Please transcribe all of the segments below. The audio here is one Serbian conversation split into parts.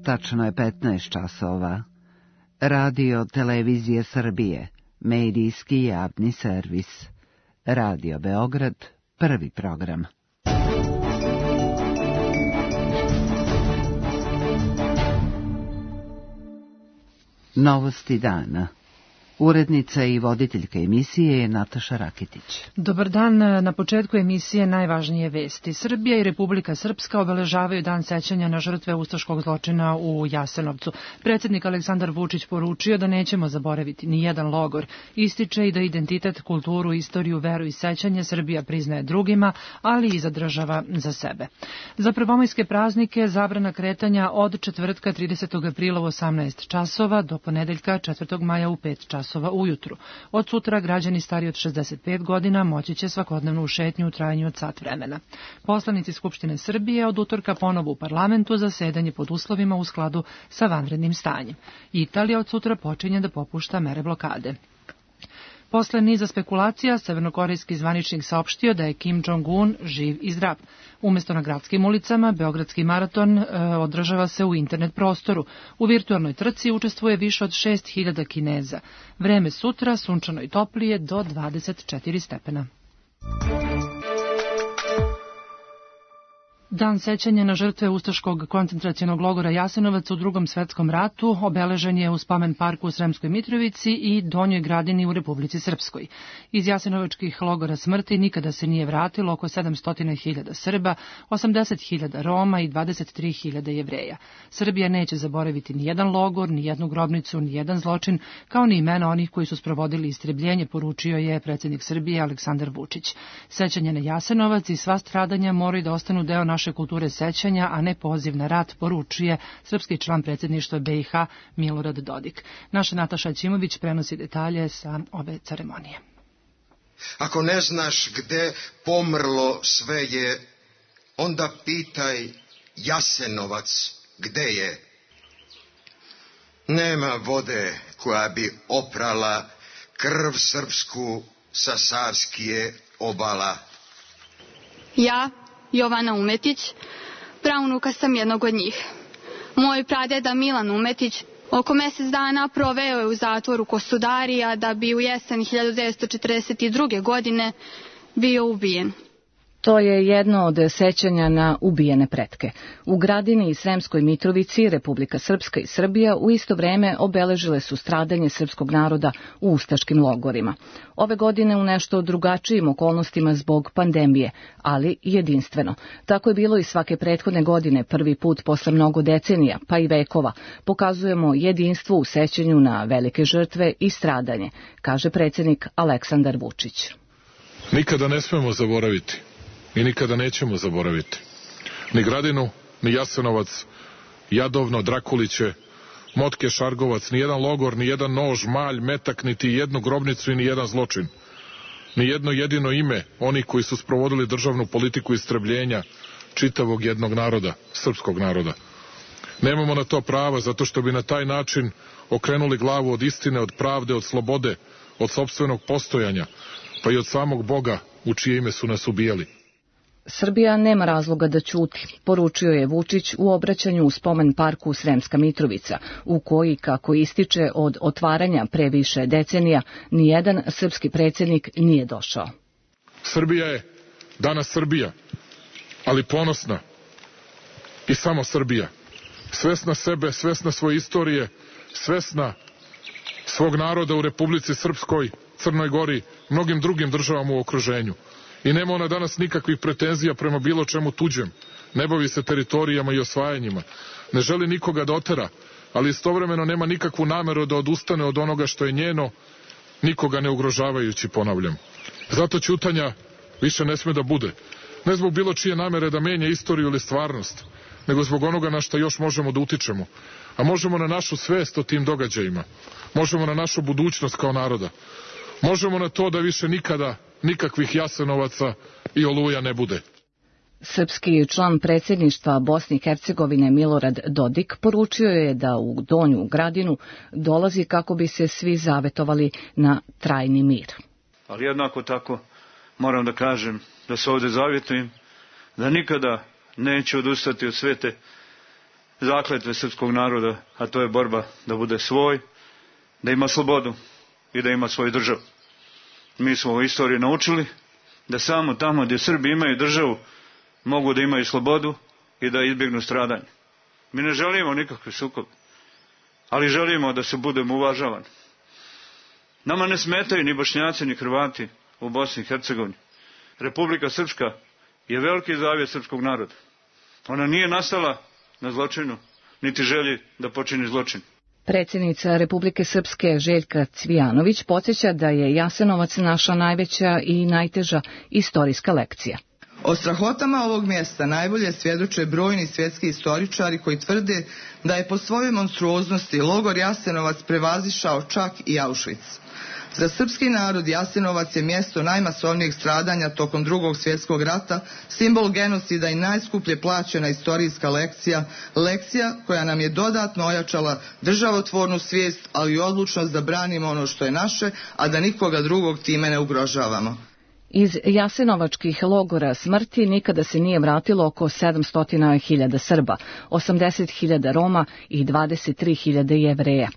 Tačno je 15 časova. Radio Televizije Srbije, medijski javni servis. Radio Beograd, prvi program. Novosti dana. Urednica i voditeljka emisije je Nataša Rakitić. Dobar dan, na početku emisije najvažnije vesti. Srbija i Republika Srpska obeležavaju dan sećanja na žrtve ustaškog zločina u Jasenovcu. Predsjednik Aleksandar Vučić poručio da nećemo zaboraviti ni jedan logor. Ističe i da identitet, kulturu, istoriju, veru i sećanje Srbija priznaje drugima, ali i zadržava za sebe. Za prvomajske praznike zabrana kretanja od četvrtka 30. aprila u 18 časova do ponedeljka 4. maja u 5 časova ujutru. Od sutra građani stariji od 65 godina moći će svakodnevnu šetnju u trajanju od sat vremena. Poslanici Skupštine Srbije od utorka ponovo u parlamentu zasedanje pod uslovima u skladu sa vanrednim stanjem. Italija od sutra počinje da popušta mere blokade. Posle niza spekulacija, severnokorejski zvaničnik saopštio da je Kim Jong-un živ i zdrav. Umesto na gradskim ulicama, Beogradski maraton održava se u internet prostoru. U virtualnoj trci učestvuje više od 6.000 Kineza. Vreme sutra sunčano i toplije do 24 stepena. Dan sećanja na žrtve ustaškog koncentracionog logora Jasenovac u Drugom svetskom ratu obeležen je u spomen parku u Sremskoj Mitrovici i Donjoj Gradini u Republici Srpskoj. Iz jasenovačkih logora smrti nikada se nije vratilo oko 700.000 Srba, 80.000 Roma i 23.000 Jevreja. Srbija neće zaboraviti ni jedan logor, ni jednu grobnicu, ni jedan zločin, kao ni imena onih koji su sprovodili istrebljenje, poručio je predsjednik Srbije Aleksandar Vučić. Sećanje na Jasenovac i sva stradanja moraju da ostanu deo naše kulture sećanja, a ne poziv na rat, poručuje srpski član predsjedništva BiH Milorad Dodik. Naša Nataša Ćimović prenosi detalje sa ove ceremonije. Ako ne znaš gde pomrlo sve je, onda pitaj Jasenovac gde je. Nema vode koja bi oprala krv srpsku sa Savskije obala. Ja, Jovana Umetić, praunuka sam jednog od njih. Moj pradeda Milan Umetić oko mjesec dana proveo je u zatvoru Kostudarija da bi u jesen 1942. godine bio ubijen. To je jedno od sećanja na ubijene pretke. U Gradini i Sremskoj Mitrovici Republika Srpska i Srbija u isto vreme obeležile su stradanje srpskog naroda u ustaškim logorima. Ove godine u nešto drugačijim okolnostima zbog pandemije, ali jedinstveno. Tako je bilo i svake prethodne godine, prvi put posle mnogo decenija, pa i vekova. Pokazujemo jedinstvo u sećanju na velike žrtve i stradanje, kaže predsjednik Aleksandar Vučić. Nikada ne smemo zaboraviti. I nikada nećemo zaboraviti. Ni Gradinu, ni Jasenovac, Jadovno, Drakuliće, Motke, Šargovac, ni jedan logor, ni jedan nož, malj, metak, niti jednu grobnicu i ni jedan zločin. Ni jedno jedino ime onih koji su sprovodili državnu politiku istrebljenja čitavog jednog naroda, srpskog naroda. Nemamo na to prava zato što bi na taj način okrenuli glavu od istine, od pravde, od slobode, od sopstvenog postojanja, pa i od samog Boga u čije ime su nas ubijali. Srbija nema razloga da ćuti, poručio je Vučić u obraćanju u spomen parku Sremska Mitrovica, u koji, kako ističe od otvaranja pre više decenija, nijedan srpski predsjednik nije došao. Srbija je danas Srbija, ali ponosna i samo Srbija. Svesna sebe, svesna svoje istorije, svesna svog naroda u Republici Srpskoj, Crnoj Gori, mnogim drugim državama u okruženju. I nema ona danas nikakvih pretenzija prema bilo čemu tuđem. Ne bavi se teritorijama i osvajanjima. Ne želi nikoga da otera, ali istovremeno nema nikakvu nameru da odustane od onoga što je njeno, nikoga ne ugrožavajući, ponavljam. Zato ćutanja više ne sme da bude. Ne zbog bilo čije namere da menja istoriju ili stvarnost, nego zbog onoga na što još možemo da utičemo. A možemo na našu svest o tim događajima. Možemo na našu budućnost kao naroda. Možemo na to da više nikada nikakvih Jasenovaca i Oluja ne bude. Srpski član predsjedništva Bosne i Hercegovine Milorad Dodik poručio je da u Donju Gradinu dolazi kako bi se svi zavetovali na trajni mir. Ali jednako tako moram da kažem da se ovdje zavjetujem da nikada neću odustati od svete zakletve srpskog naroda, a to je borba da bude svoj, da ima slobodu i da ima svoju državu. Mi smo u istoriji naučili da samo tamo gdje Srbi imaju državu mogu da imaju slobodu i da izbjegnu stradanje. Mi ne želimo nikakve sukobe, ali želimo da se budemo uvažavani. Nama ne smetaju ni Bošnjaci ni Hrvati u Bosni i Hercegovini. Republika Srpska je veliki zavjet srpskog naroda. Ona nije nastala na zločinu, niti želji da počini zločin. Predsjednica Republike Srpske Željka Cvijanović podsjeća da je Jasenovac naša najveća i najteža istorijska lekcija. O strahotama ovog mjesta najbolje svjedoče brojni svjetski istoričari koji tvrde da je po svojoj monstruoznosti logor Jasenovac prevazišao čak i Auschwitz. Za srpski narod Jasenovac je mjesto najmasovnijeg stradanja tokom Drugog svjetskog rata, simbol genocida i najskuplje plaćena istorijska lekcija, lekcija koja nam je dodatno ojačala državotvornu svijest, ali i odlučnost da branimo ono što je naše, a da nikoga drugog time ne ugrožavamo. Iz jasenovačkih logora smrti nikada se nije vratilo oko 700.000 Srba, 80.000 Roma i 23.000 Jevreja.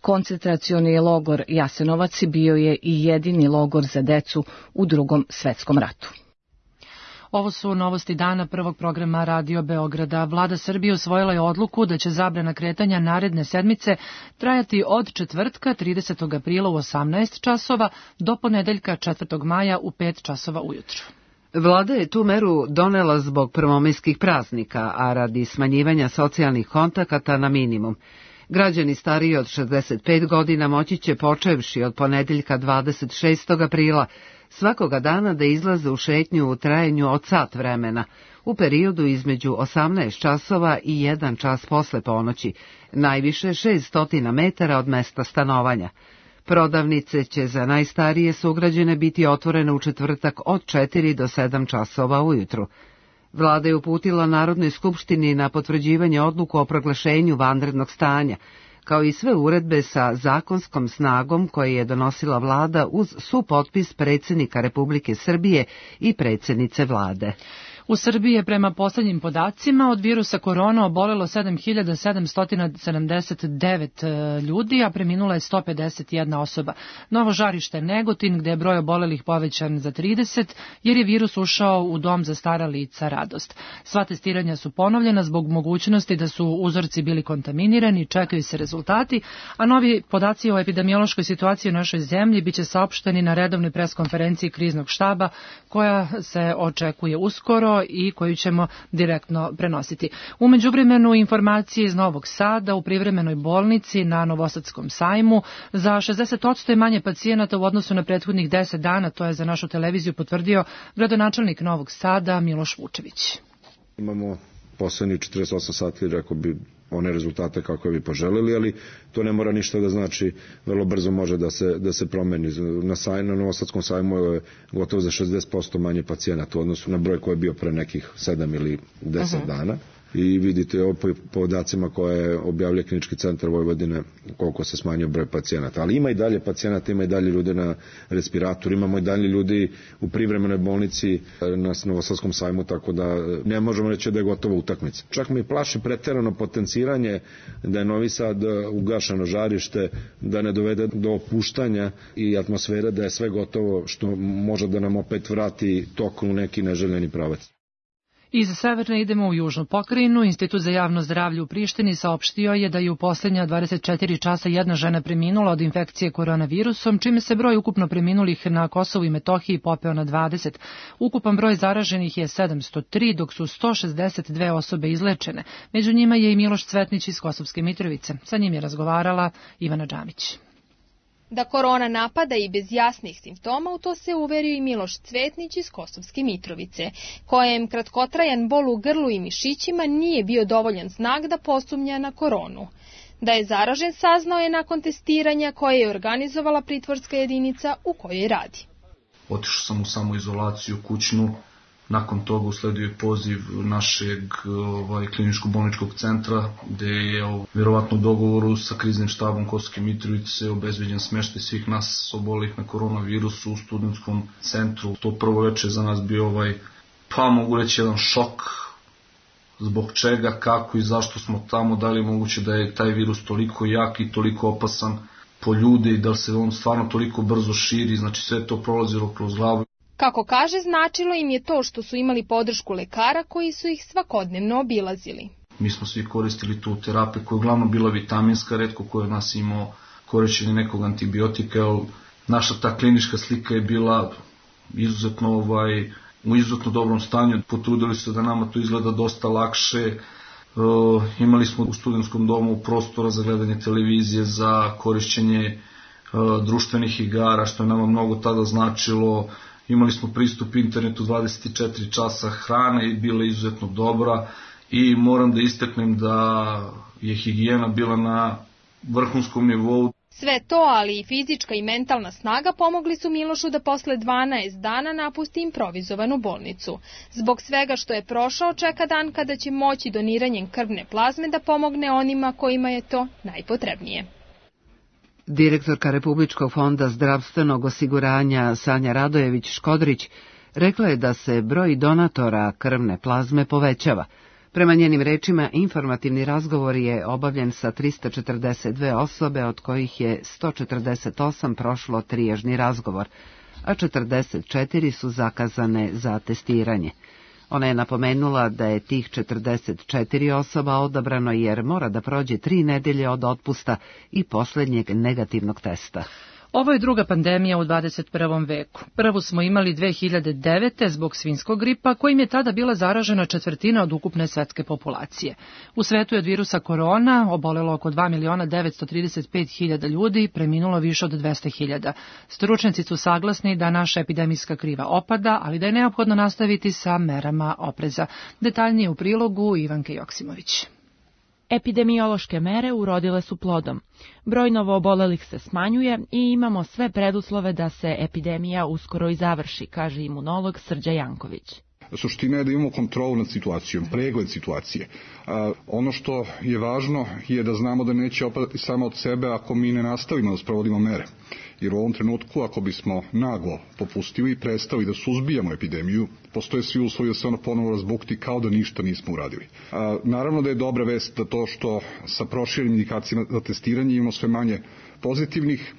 Koncentracioni logor Jasenovac bio je i jedini logor za decu u Drugom svjetskom ratu. Ovo su novosti dana prvog programa Radio Beograda. Vlada Srbije usvojila je odluku da će zabrana kretanja naredne sedmice trajati od četvrtka 30. aprila u 18 časova do ponedeljka 4. maja u 5 časova ujutru. Vlada je tu meru donela zbog prvomajskih praznika, a radi smanjivanja socijalnih kontakata na minimum. Građani stariji od 65 godina moći će, počevši od ponedeljka 26. aprila, svakoga dana da izlaze u šetnju u trajanju od sat vremena, u periodu između 18 časova i 1 čas posle ponoći, najviše 600 metara od mesta stanovanja. Prodavnice će za najstarije sugrađane biti otvorene u četvrtak od 4 do 7 časova ujutru. Vlada je uputila Narodnoj skupštini na potvrđivanje odluku o proglašenju vanrednog stanja, kao i sve uredbe sa zakonskom snagom koje je donosila vlada uz supotpis predsjednika Republike Srbije i predsjednice vlade. U Srbiji je prema posljednjim podacima od virusa korona obolelo 7.779 ljudi, a preminula je 151 osoba. Novo žarište Negotin, gde je broj obolelih povećan za 30, jer je virus ušao u dom za stara lica Radost. Sva testiranja su ponovljena zbog mogućnosti da su uzorci bili kontaminirani, čekaju se rezultati, a novi podaci o epidemiološkoj situaciji u našoj zemlji biće saopšteni na redovnoj preskonferenciji kriznog štaba, koja se očekuje uskoro i koju ćemo direktno prenositi. U međuvremenu informacije iz Novog Sada u privremenoj bolnici na Novosadskom sajmu za 60% je manje pacijenata u odnosu na prethodnih 10 dana, to je za našu televiziju potvrdio gradonačelnik Novog Sada Miloš Vučević. Imamo poslednjih 48 sati, rekao bi, one rezultate kako bi poželili, ali to ne mora ništa da znači, vrlo brzo može da se promeni. Na Novosadskom sajmu je gotovo za 60% manje pacijenata u odnosu na broj koji je bio pre nekih 7 ili 10 dana. I vidite po podacima koje objavlja Klinički centar Vojvodine koliko se smanjio broj pacijenata. Ali ima i dalje pacijenata, ima i dalje ljude na respiratoru, imamo i dalje ljudi u privremenoj bolnici na Novosadskom sajmu, tako da ne možemo reći da je gotova utakmica. Čak me plaši preterano potenciranje da je Novi Sad ugašeno žarište, da ne dovede do opuštanja i atmosfere da je sve gotovo, što može da nam opet vrati tok u neki neželjeni pravac. Iz severne idemo u južnu pokrajinu. Institut za javno zdravlje u Prištini saopštio je da je u posljednja 24 časa jedna žena preminula od infekcije koronavirusom, čime se broj ukupno preminulih na Kosovu i Metohiji popeo na 20. Ukupan broj zaraženih je 703, dok su 162 osobe izlečene. Među njima je i Miloš Cvetnić iz Kosovske Mitrovice. Sa njim je razgovarala Ivana Džamić. Da korona napada i bez jasnih simptoma, u to se uverio i Miloš Cvetnić iz Kosovske Mitrovice, kojem kratkotrajan bol u grlu i mišićima nije bio dovoljan znak da posumnja na koronu. Da je zaražen saznao je nakon testiranja koje je organizovala pritvorska jedinica u kojoj radi. Otišao sam u samoizolaciju kućnu. Nakon toga usledio je poziv našeg kliničko-bolničkog centra, gde je vjerovatno u dogovoru sa kriznim štabom Kosovske Mitrovice obezbeđen smeštaj svih nas obolelih na koronavirusu u studentskom centru. To prvo veče za nas bio mogu reći jedan šok, zbog čega, kako i zašto smo tamo, da li je moguće da je taj virus toliko jak i toliko opasan po ljude i da li se on stvarno toliko brzo širi, znači sve to prolazilo kroz glavu. Kako kaže, značilo im je to što su imali podršku lekara koji su ih svakodnevno obilazili. Mi smo svi koristili tu terapiju koja je uglavnom bila vitaminska, retko koja od nas imao korišćenje nekog antibiotika. Naša ta klinička slika je bila izuzetno u izuzetno dobrom stanju. Potrudili se da nama to izgleda dosta lakše. Imali smo u studentskom domu prostora za gledanje televizije, za korišćenje društvenih igara, što je nama mnogo tada značilo. Imali smo pristup internetu 24 časa, hrana je bila izuzetno dobra i moram da istaknem da je higijena bila na vrhunskom nivou. Sve to, ali i fizička i mentalna snaga pomogli su Milošu da posle 12 dana napusti improvizovanu bolnicu. Zbog svega što je prošao, čeka dan kada će moći doniranjem krvne plazme da pomogne onima kojima je to najpotrebnije. Direktorka Republičkog fonda zdravstvenog osiguranja Sanja Radojević-Škodrić rekla je da se broj donatora krvne plazme povećava. Prema njenim rečima, informativni razgovor je obavljen sa 342 osobe, od kojih je 148 prošlo triježni razgovor, a 44 su zakazane za testiranje. Ona je napomenula da je tih 44 osoba odabrano jer mora da prođe 3 nedelje od otpusta i posljednjeg negativnog testa. Ovo je druga pandemija u 21. veku. Prvu smo imali 2009. zbog svinjskog gripa, kojim je tada bila zaražena 1/4 od ukupne svetske populacije. U svetu je od virusa korona obolelo oko 2.935.000 ljudi, preminulo više od 200.000. Stručnjaci su saglasni da naša epidemijska kriva opada, ali da je neophodno nastaviti sa merama opreza. Detaljnije u prilogu Ivanke Joksimović. Epidemiološke mere urodile su plodom. Broj novoobolelih se smanjuje i imamo sve preduslove da se epidemija uskoro i završi, kaže imunolog Srđa Janković. Suština je da imamo kontrolu nad situacijom, pregled situacije. Ono što je važno je da znamo da neće opadati samo od sebe ako mi ne nastavimo da sprovodimo mere. Jer u ovom trenutku, ako bismo naglo popustili i prestali da suzbijamo epidemiju, postoje svi uslovi da se ona ponovo razbukti kao da ništa nismo uradili. Naravno da je dobra vest da to što sa proširenim indikacijama za testiranje imamo sve manje pozitivnih,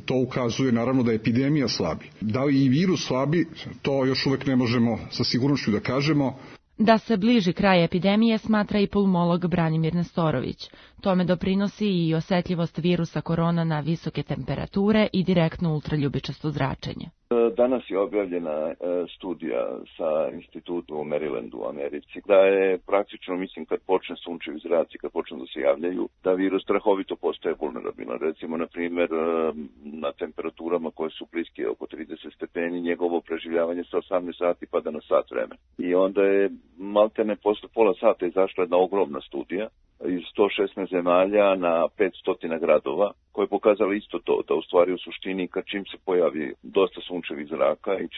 to ukazuje naravno da epidemija slabi. Da li i virus slabi, to još uvek ne možemo sa sigurnošću da kažemo. Da se bliži kraj epidemije smatra i pulmolog Branimir Nestorović. Tome doprinosi i osetljivost virusa korona na visoke temperature i direktno ultraljubičasto zračenje. Danas je objavljena studija sa institutom u Marylandu u Americi, da je praktično, mislim, kad počne sunčevi zraci, kad počne da se javljaju, da virus strahovito postaje vulnerabilan. Recimo, na primjer, na temperaturama koje su bliske oko 30 stepeni, njegovo preživljavanje sa 18 sati pada na sat vremena. I onda je maltene posle pola sata izašla jedna ogromna studija iz 116 zemalja na 500 gradova, koje je pokazala isto to, da u stvari u suštini kad čim se pojavi dosta sunčevih zraka i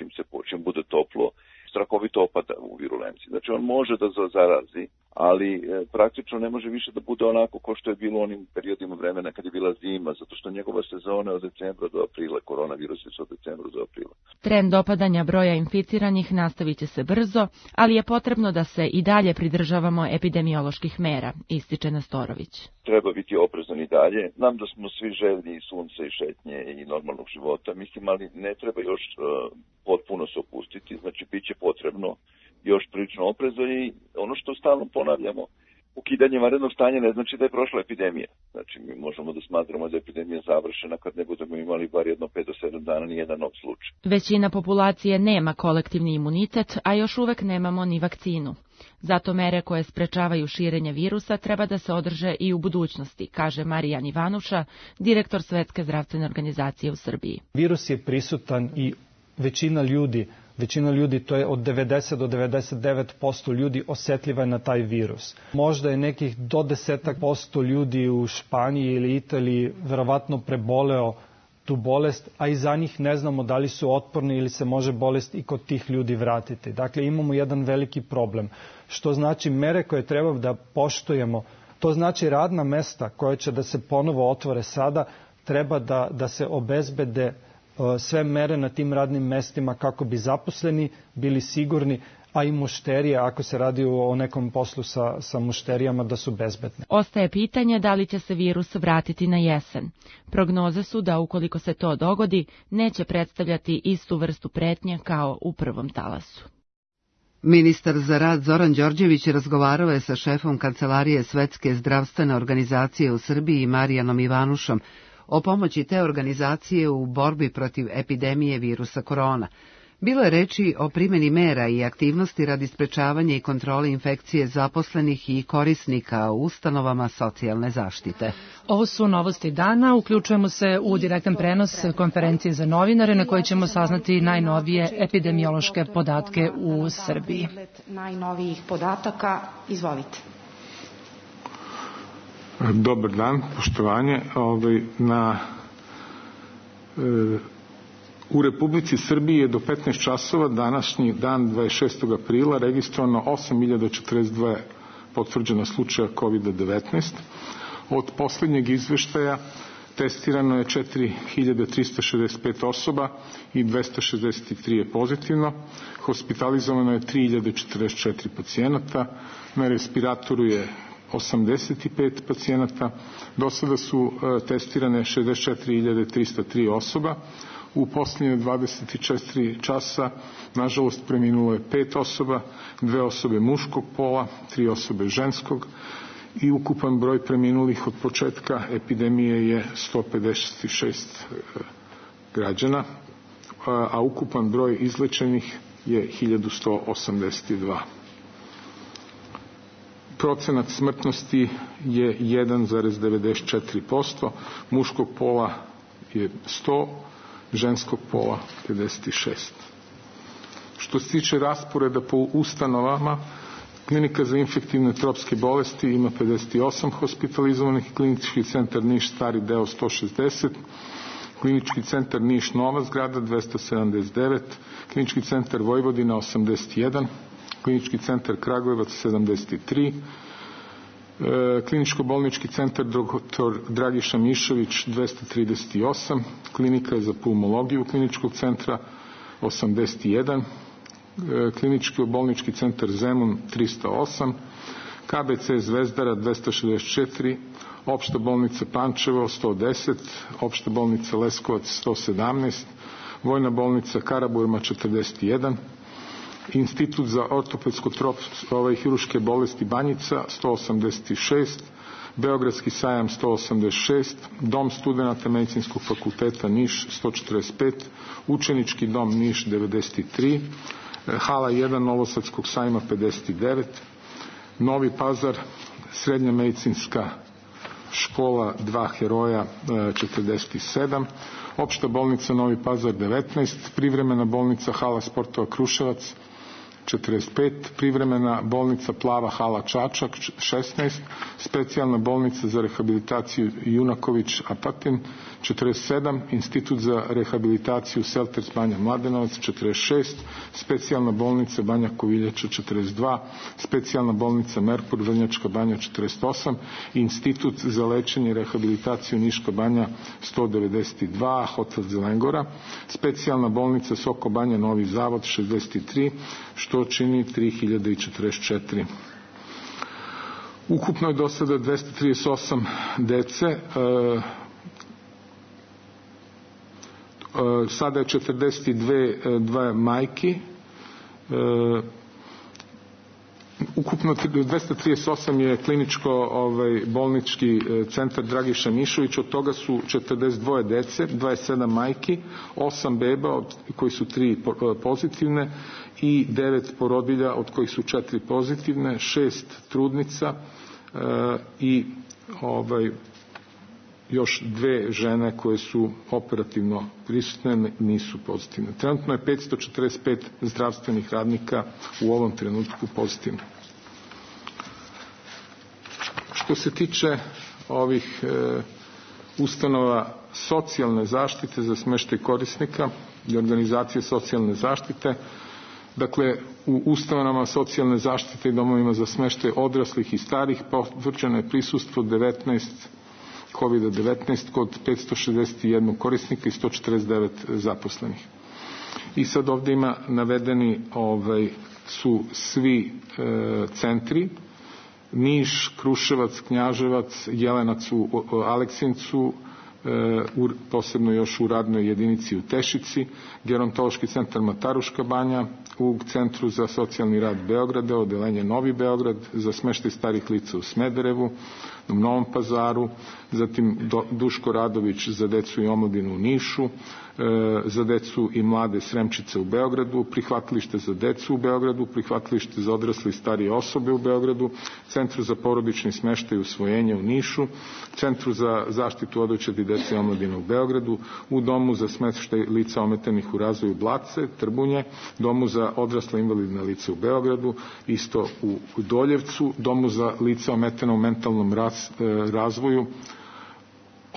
čim bude toplo, strahovito opada u virulenciji. Znači on može da zarazi, ali praktično ne može više da bude onako kao što je bilo u onim periodima vremena kad je bila zima, zato što njegova sezona je od decembra do aprila, koronavirus je od decembra do aprila. Trend opadanja broja inficiranih nastavit će se brzo, ali je potrebno da se i dalje pridržavamo epidemioloških mera, ističe Nestorović. Treba biti oprezan i dalje. Znam da smo svi željni sunca i šetnje i normalnog života, mislim, ali ne treba još potpuno se opustiti, znači bit će potrebno još prilično opreza i ono što stalno ponavljamo, ukidanje vanrednog stanja ne znači da je prošla epidemija. Znači mi možemo da smatramo da je epidemija završena kad ne budemo imali bar jedno 5 do 7 dana ni jedan nov slučaj. Većina populacije nema kolektivni imunitet, a još uvek nemamo ni vakcinu. Zato mere koje sprečavaju širenje virusa treba da se održe i u budućnosti, kaže Marijan Ivanuša, direktor Svetske zdravstvene organizacije u Srbiji. Virus je prisutan i većina ljudi, to je od 90 do 99% ljudi osetljiva je na taj virus. Možda je nekih do 10% ljudi u Španiji ili Italiji verovatno preboleo tu bolest, a i za njih ne znamo da li su otporni ili se može bolest i kod tih ljudi vratiti. Dakle, imamo jedan veliki problem. Što znači mere koje treba da poštujemo, to znači radna mesta koja će da se ponovo otvore sada, treba da se obezbede sve mere na tim radnim mestima kako bi zaposleni bili sigurni, a i mušterije, ako se radi o nekom poslu sa mušterijama, da su bezbedne. Ostaje pitanje da li će se virus vratiti na jesen. Prognoze su da ukoliko se to dogodi, neće predstavljati istu vrstu pretnje kao u prvom talasu. Ministar za rad Zoran Đorđević razgovarao je sa šefom Kancelarije Svetske zdravstvene organizacije u Srbiji Marijanom Ivanušom o pomoći te organizacije u borbi protiv epidemije virusa korona. Bilo je reči o primjeni mera i aktivnosti radi sprečavanja i kontrole infekcije zaposlenih i korisnika u ustanovama socijalne zaštite. Ovo su novosti dana. Uključujemo se u direktan prenos konferencije za novinare na kojoj ćemo saznati najnovije epidemiološke podatke u Srbiji. Najnovijih podataka, izvolite. Dobar dan, poštovanje. U Republici Srbiji je do 15 časova današnji dan 26. aprila registrovano 8.042 potvrđena slučaja COVID-19. Od posljednjeg izveštaja testirano je 4.365 osoba i 263 je pozitivno. Hospitalizovano je 3.044 pacijenata. Na respiratoru je 85 pacijenata. Do sada su testirane 64.303 osoba. U posljednje 24 časa, nažalost, preminulo je 5 osoba, 2 osobe muškog pola, 3 osobe ženskog i ukupan broj preminulih od početka epidemije je 156 građana, a ukupan broj izlečenih je 1182. Procenat smrtnosti je 1,94%, muškog pola je 100%, ženskog pola 56. Što se tiče rasporeda po ustanovama, Klinika za infektivne tropske bolesti ima 58 hospitalizovanih, Klinički centar Niš stari deo 160, Klinički centar Niš nova zgrada 279, Klinički centar Vojvodina 81, Klinički centar Kragujevac 73, Kliničko-bolnički centar dr. Dragiša Mišović 238, Klinika za pulmologiju Kliničkog centra 81, Kliničko-bolnički centar Zemun 308, KBC Zvezdara 264, Opšta bolnica Pančevo 110, Opšta bolnica Leskovac 117, Vojna bolnica Karaburma 41, Institut za ortopedsko-hiruške bolesti Banjica 186, Beogradski sajam 186, Dom studenata Medicinskog fakulteta Niš 145, Učenički dom Niš 93, Hala 1 Novosadskog sajma 59, Novi Pazar, Srednja medicinska škola 2 heroja 47, Opšta bolnica Novi Pazar 19, Privremena bolnica Hala sportova Kruševac 45, Privremena bolnica Plava hala Čačak 16, Specijalna bolnica za rehabilitaciju Junaković Apatin 47, Institut za rehabilitaciju Selters Banja Mladenovac 46, Specijalna bolnica Banja Koviljača 42, Specijalna bolnica Merkur Vrnjačka Banja 48, Institut za lečenje i rehabilitaciju Niška Banja 192, Hotel Zelengora, Specijalna bolnica Soko Banja Novi Zavod 63, što čini 3044. Ukupno je do sada 238 dece, sada je 42 majki, ukupno 238 je kliničko-bolnički centar Dragiša Mišović, od toga su 42 dece, 27 majki, 8 beba, od koji su 3 pozitivne i 9 porodilja, od kojih su 4 pozitivne, 6 trudnica i još 2 žene koje su operativno prisutne, nisu pozitivne. Trenutno je 545 zdravstvenih radnika u ovom trenutku pozitivno. Što se tiče ovih ustanova socijalne zaštite za smeštaj korisnika i organizacije socijalne zaštite, dakle, u ustanovama socijalne zaštite i domovima za smeštaj odraslih i starih potvrđeno je prisustvo 19 COVID-19 kod 561 korisnika i 149 zaposlenih. I sad ovde ima navedeni su svi centri: Niš, Kruševac, Knjaževac, Jelenac u Aleksincu, posebno još u radnoj jedinici u Tešici, Gerontološki centar Mataruška Banja, u Centru za socijalni rad Beograda, odeljenje Novi Beograd, za smeštaj starih lica u Smederevu, u Novom Pazaru, zatim Duško Radović za decu i omladinu u Nišu, za decu i mlade Sremčice u Beogradu, prihvatilište za decu u Beogradu, prihvatilište za odrasle i starije osobe u Beogradu, Centru za porodični smeštaj i usvojenje u Nišu, Centru za zaštitu odočadi dece i omladine u Beogradu, u Domu za smeštaj lica ometanih u razvoju Blace, Trbunje, Domu za odrasla invalidna lica u Beogradu, isto u Doljevcu, Domu za lica ometena u mentalnom razvoju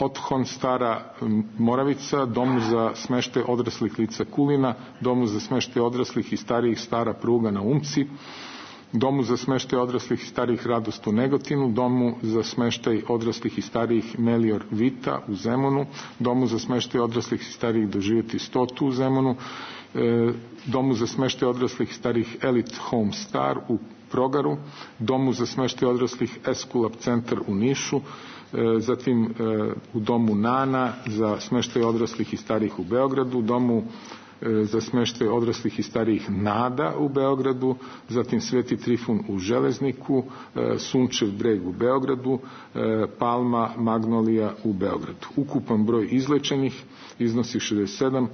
Othon Stara Moravica, Domu za smeštaj odraslih lica Kulina, Domu za smeštaj odraslih i starijih Stara Pruga na Umci, Domu za smeštaj odraslih i starijih Radost u Negotinu, Domu za smeštaj odraslih i starijih Melior Vita u Zemunu, Domu za smeštaj odraslih i starijih Doživjeti 100 u Zemunu, Domu za smeštaj odraslih i starijih Elite Home Star u Progaru, Domu za smeštaj odraslih Eskulap centar u Nišu, zatim u Domu Nana za smeštaj odraslih i starijih u Beogradu, Domu za smeštaj odraslih i starijih Nada u Beogradu, zatim Sveti Trifun u Železniku, Sunčev breg u Beogradu, Palma Magnolija u Beogradu. Ukupan broj izlečenih iznosi 67,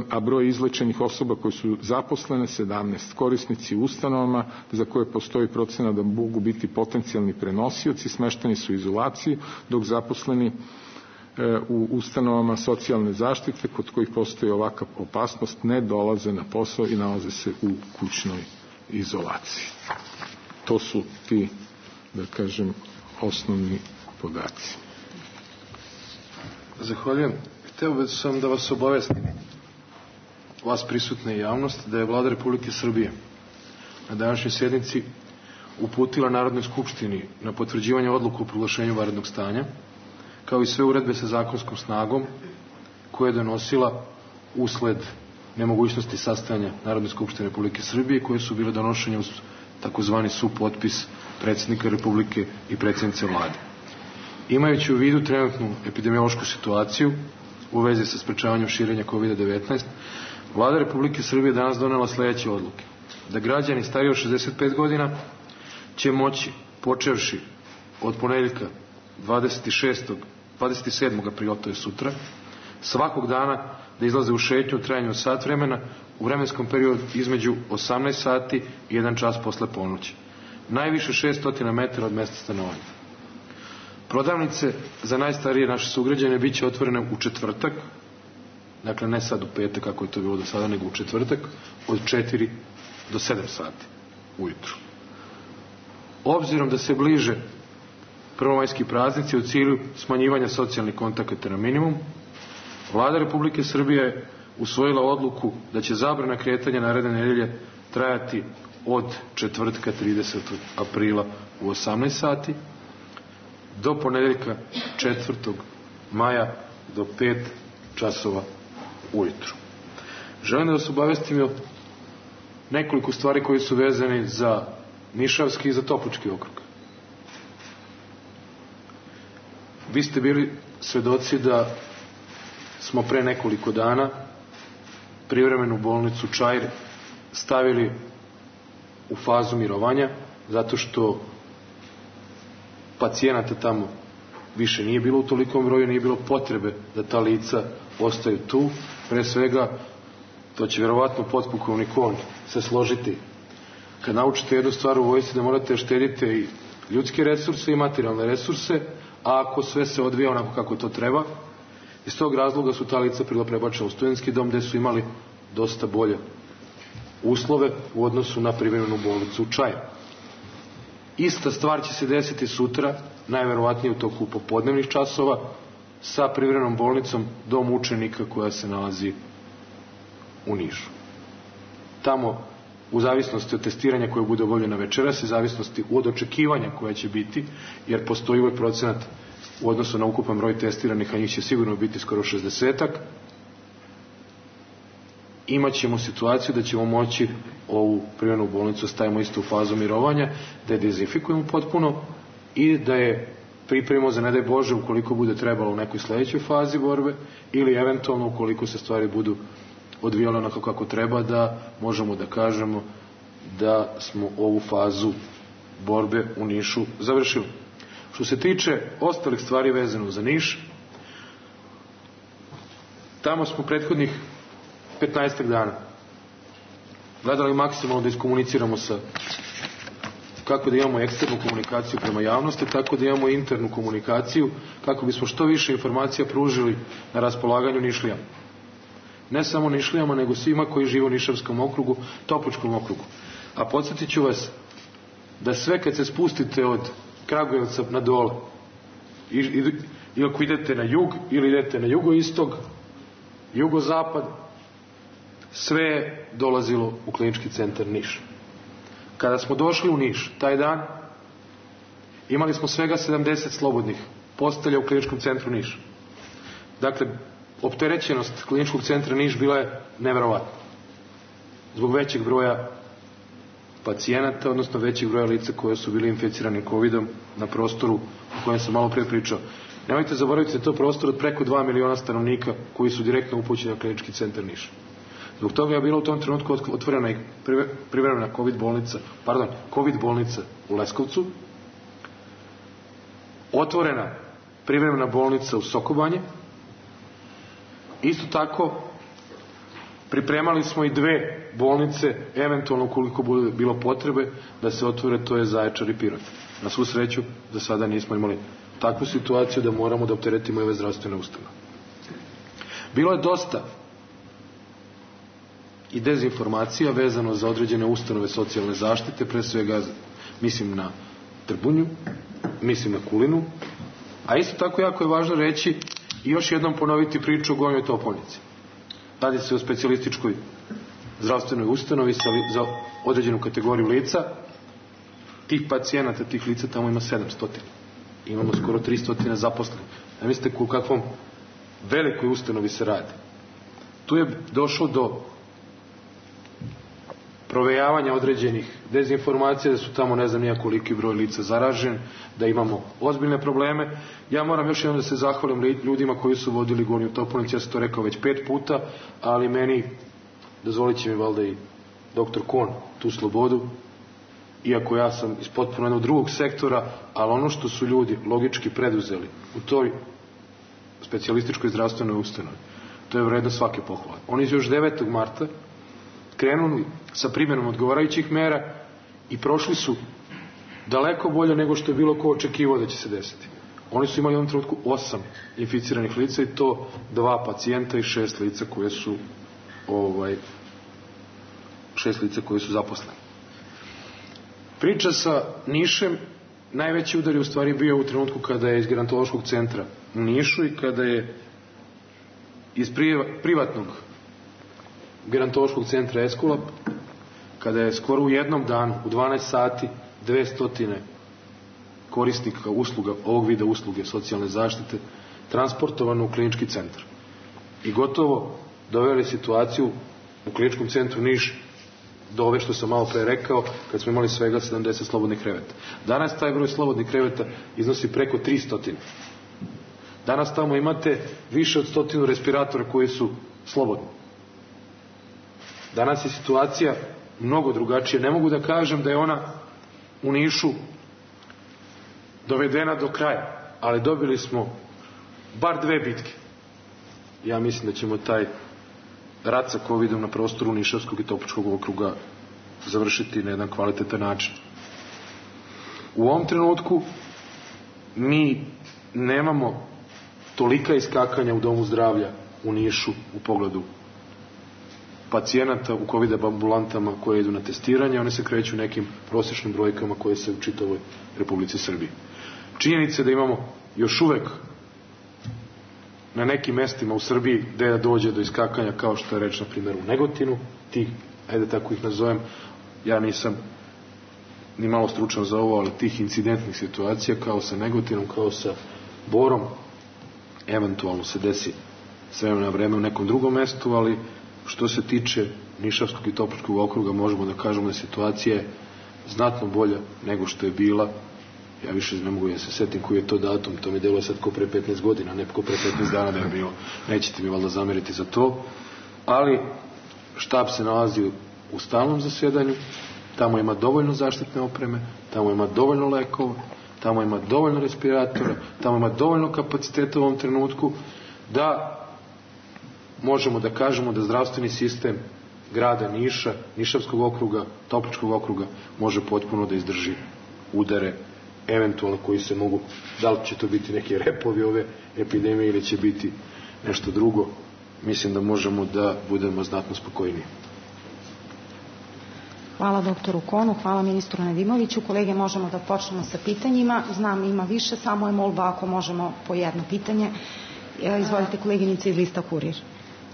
a broj izlečenih osoba koje su zaposlene 17. Korisnici u ustanovama za koje postoji procena da mogu biti potencijalni prenosioci smešteni su u izolaciji, dok zaposleni u ustanovama socijalne zaštite kod kojih postoji ovakva opasnost ne dolaze na posao i nalaze se u kućnoj izolaciji. To su ti, da kažem, osnovni podaci. Zahvaljujem. Hteo sam da vas obavestim, vas prisutne javnost, da je Vlada Republike Srbije na današnjoj sjednici uputila Narodnoj skupštini na potvrđivanje odluku o proglašenju vanrednog stanja, kao i sve uredbe sa zakonskom snagom koje je donosila usled nemogućnosti sastajanja Narodne skupštine Republike Srbije, koje su bile donošenje uz takozvani supotpis predsjednika Republike i predsjednice Vlade. Imajući u vidu trenutnu epidemiološku situaciju u vezi sa sprečavanjem širenja COVID-19, Vlada Republike Srbije danas donela sledeće odluke: da građani stariji od 65 godina će moći, počevši od ponedeljka 27. aprila, to je sutra, svakog dana da izlaze u šetnju u trajanju od sat vremena u vremenskom periodu između 18 sati i 1 čas posle ponoći. Najviše 600 metara od mesta stanovanja. Prodavnice za najstarije naše sugrađane bit će otvorene u četvrtak, dakle ne sad u petak kako je to bilo do sada, nego u četvrtak od 4 do 7 sati ujutru. Obzirom da se bliže prvomajski praznici u cilju smanjivanja socijalnih kontakata na minimum, Vlada Republike Srbije je usvojila odluku da će zabrana kretanja naredne nedelje trajati od četvrtka 30. aprila u 18 sati do ponedeljka 4. maja do 5 časova ujutru. Želim da vas obavestim o nekoliko stvari koji su vezani za Nišavski i za Toplički okrug. Vi ste bili svedoci da smo pre nekoliko dana privremenu bolnicu Čair stavili u fazu mirovanja, zato što pacijenata tamo više nije bilo u tolikom broju, nije bilo potrebe da ta lica ostaju tu. Pre svega, to će vjerovatno potpukovnik on se složiti. Kad naučite jednu stvar u vojsci, da morate štediti i ljudske resurse i materijalne resurse, a ako sve se odvija onako kako to treba, iz tog razloga su ta lica prebačena u studentski dom, gde su imali dosta bolje uslove u odnosu na privremenu bolnicu u Čajeru. Ista stvar će se desiti sutra, najverovatnije u toku popodnevnih časova, sa privremenom bolnicom Dom učenika koja se nalazi u Nišu. Tamo, u zavisnosti od testiranja koje bude obavljeno večeras, i zavisnosti od očekivanja koja će biti, jer postoji ovaj procenat u odnosu na ukupan broj testiranih, a njih će sigurno biti skoro 60-ak, imat ćemo situaciju da ćemo moći ovu privremenu bolnicu stavimo isto u fazu mirovanja, da je dezinfikujemo potpuno i da je pripremimo za, ne daj Bože, ukoliko bude trebalo u nekoj sledećoj fazi borbe ili eventualno ukoliko se stvari budu odvijale onako kako treba, da možemo da kažemo da smo ovu fazu borbe u Nišu završili. Što se tiče ostalih stvari vezano za Niš, tamo smo prethodnih 15 dana gledali maksimalno da iskomuniciramo sa, kako da imamo eksternu komunikaciju prema javnosti, tako da imamo internu komunikaciju, kako bismo što više informacija pružili na raspolaganju Nišlijama. Ne samo Nišlijama, nego svima koji žive u Nišavskom okrugu, Topličkom okrugu. A podsjetit ću vas da sve kad se spustite od Kragujevca na dole, i ako idete na jug ili idete na jugoistog, jugozapad, sve je dolazilo u klinički centar Niš. Kada smo došli u Niš, taj dan, imali smo svega 70 slobodnih postelja u kliničkom centru Niš. Dakle, opterećenost kliničkog centra Niš bila je neverovatna. Zbog većeg broja pacijenata, odnosno većeg broja lica koje su bili inficirani COVID-om na prostoru o kojem sam malo pre pričao. Nemojte zaboraviti da je to prostor od preko 2 miliona stanovnika koji su direktno upućeni na klinički centar Niš. Zbog toga je bila u tom trenutku otvorena i privremena COVID bolnica u Leskovcu, otvorena privremena bolnica u Sokobanje. Isto tako pripremali smo i 2 bolnice, eventualno ukoliko bude bilo potrebe da se otvore, to je Zaječar i Pirot. Na svu sreću, za sada nismo imali takvu situaciju da moramo da opteretimo ove zdravstvene ustanove. Bilo je dosta i dezinformacija vezano za određene ustanove socijalne zaštite, pre svega mislim na Trbunju, mislim na Kulinu, a isto tako jako je važno reći i još jednom ponoviti priču o Gornjoj Topovnici. Radi se o specijalističkoj zdravstvenoj ustanovi za određenu kategoriju lica. Tih pacijenata, tih lica tamo ima 700. Imamo skoro 300 zaposlenih. Ne mislite u kakvom velikoj ustanovi se radi. Tu je došlo do provejavanja određenih dezinformacija, da su tamo ne znam nija koliki broj lica zaražen, da imamo ozbiljne probleme. Ja moram još jednom da se zahvalim ljudima koji su vodili Gornju Topovnicu, ja sam to rekao već 5 puta, ali meni, dozvolit će mi valjda i doktor Kon tu slobodu, iako ja sam iz potpuno jednog drugog sektora, ali ono što su ljudi logički preduzeli u toj specijalističkoj zdravstvenoj ustanovi, to je vredno svake pohvale. Oni su još 9. marta krenuli sa primjenom odgovarajućih mera i prošli su daleko bolje nego što je bilo ko očekivao da će se desiti. Oni su imali u ovom trenutku 8 inficiranih lica i to 2 pacijenta i 6 lica koje su 6 lica koje su zaposleni. Priča sa Nišem, najveći udar je u stvari bio u trenutku kada je iz gerontološkog centra u Nišu i kada je iz privatnog gerontološkog centra Eskulap, kada je skoro u jednom danu, u 12 sati, 200 korisnika usluga, ovog vida usluge socijalne zaštite, transportovano u klinički centar. I gotovo doveli situaciju u kliničkom centru Niš do ove što sam malo pre rekao, kad smo imali svega 70 slobodnih kreveta. Danas taj broj slobodnih kreveta iznosi preko 300. Danas tamo imate više od 100 respiratora koji su slobodni. Danas je situacija mnogo drugačija. Ne mogu da kažem da je ona u Nišu dovedena do kraja, ali dobili smo bar 2 bitke. Ja mislim da ćemo taj rat sa COVID-om na prostoru Nišavskog i Topličkog okruga završiti na jedan kvalitetan način. U ovom trenutku mi nemamo tolika iskakanja u domu zdravlja u Nišu u pogledu pacijenata u COVID ambulantama koje idu na testiranje, one se kreću nekim prosječnim brojkama koje se u čitavoj Republici Srbiji. Činjenica je da imamo još uvek na nekim mestima u Srbiji gde dođe do iskakanja, kao što je reč na primjer u Negotinu, tih, ajde tako ih nazovem, ja nisam ni malo stručan za ovo, ali tih incidentnih situacija kao sa Negotinom, kao sa Borom, eventualno se desi s vremena na vreme u nekom drugom mestu, ali što se tiče Nišavskog i Topličkog okruga možemo da kažemo da situacija je znatno bolja nego što je bila. Ja više ne mogu da se setim koji je to datum, to mi deluje sad ko pre 15 godina, ne ko pre 15 dana da je bilo, nećete mi valjda zameriti za to, ali štab se nalazi u stalnom zasedanju, tamo ima dovoljno zaštitne opreme, tamo ima dovoljno lekova, tamo ima dovoljno respiratora, tamo ima dovoljno kapaciteta u ovom trenutku da možemo da kažemo da zdravstveni sistem grada Niša, Nišavskog okruga, Topličkog okruga može potpuno da izdrži udare eventualno koji se mogu, da li će to biti neki repovi ove epidemije ili će biti nešto drugo, mislim da možemo da budemo znatno spokojniji. Hvala doktoru Konu, hvala ministru Nedimoviću. Kolege, možemo da počnemo sa pitanjima. Znam, ima više, samo je molba ako možemo po jedno pitanje. Izvolite, koleginice iz lista Kurir.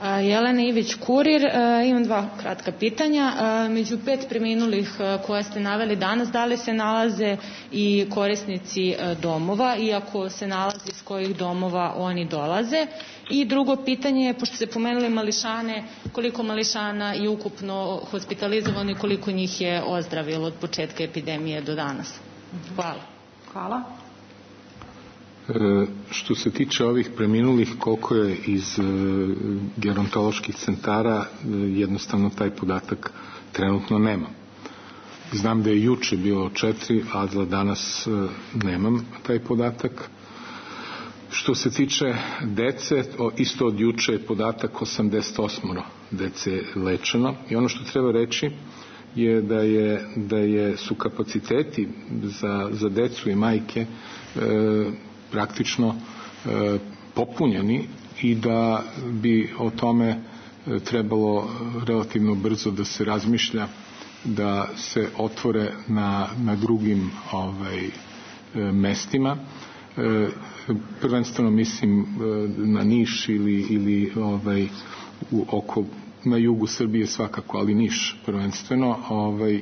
Jelena Ivić, Kurir. Imam dva kratka pitanja. Među 5 preminulih koje ste naveli danas, da li se nalaze i korisnici domova, i ako se nalazi iz kojih domova oni dolaze? I drugo pitanje je, pošto ste pomenuli mališane, koliko mališana je ukupno hospitalizovano i koliko njih je ozdravilo od početka epidemije do danas? Hvala. Hvala. Što se tiče ovih preminulih, koliko je iz gerontoloških centara, jednostavno taj podatak trenutno nema. Znam da je juče bilo 4, a za danas nemam taj podatak. Što se tiče dece, isto od juče je podatak 88 dece lečeno i ono što treba reći je da su kapaciteti za decu i majke praktično popunjeni i da bi o tome trebalo relativno brzo da se razmišlja, da se otvore na drugim mestima. Prvenstveno mislim na Niš ili na jugu Srbije svakako, ali Niš prvenstveno,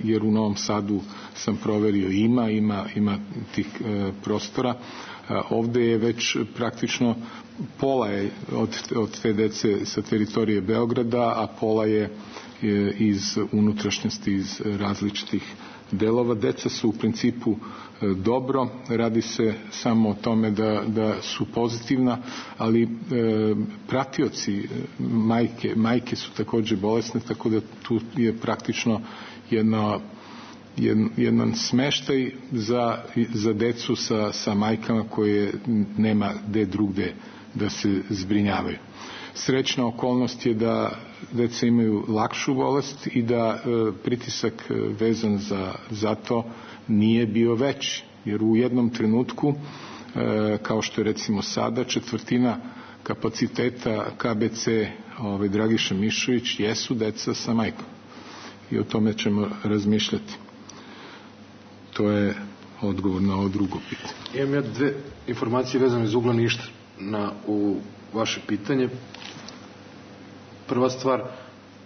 jer u Novom Sadu sam proverio ima tih prostora. Ovde je već praktično pola je od te dece sa teritorije Beograda, a pola je iz unutrašnjosti, iz različitih delova. Deca su u principu dobro, radi se samo o tome da su pozitivna, ali pratioci majke su takođe bolesne, tako da tu je praktično jedan smeštaj za decu sa majkama koje nema gde drugde da se zbrinjavaju. Srećna okolnost je da deca imaju lakšu bolest i da pritisak vezan za to nije bio veći, jer u jednom trenutku, kao što je recimo sada, 1/4 kapaciteta KBC Dragiša Mišović jesu deca sa majkom i o tome ćemo razmišljati. To je odgovor na ovo drugo pitanje. Imam ja 2 informacije vezane iz ugla Niša u vaše pitanje. Prva stvar,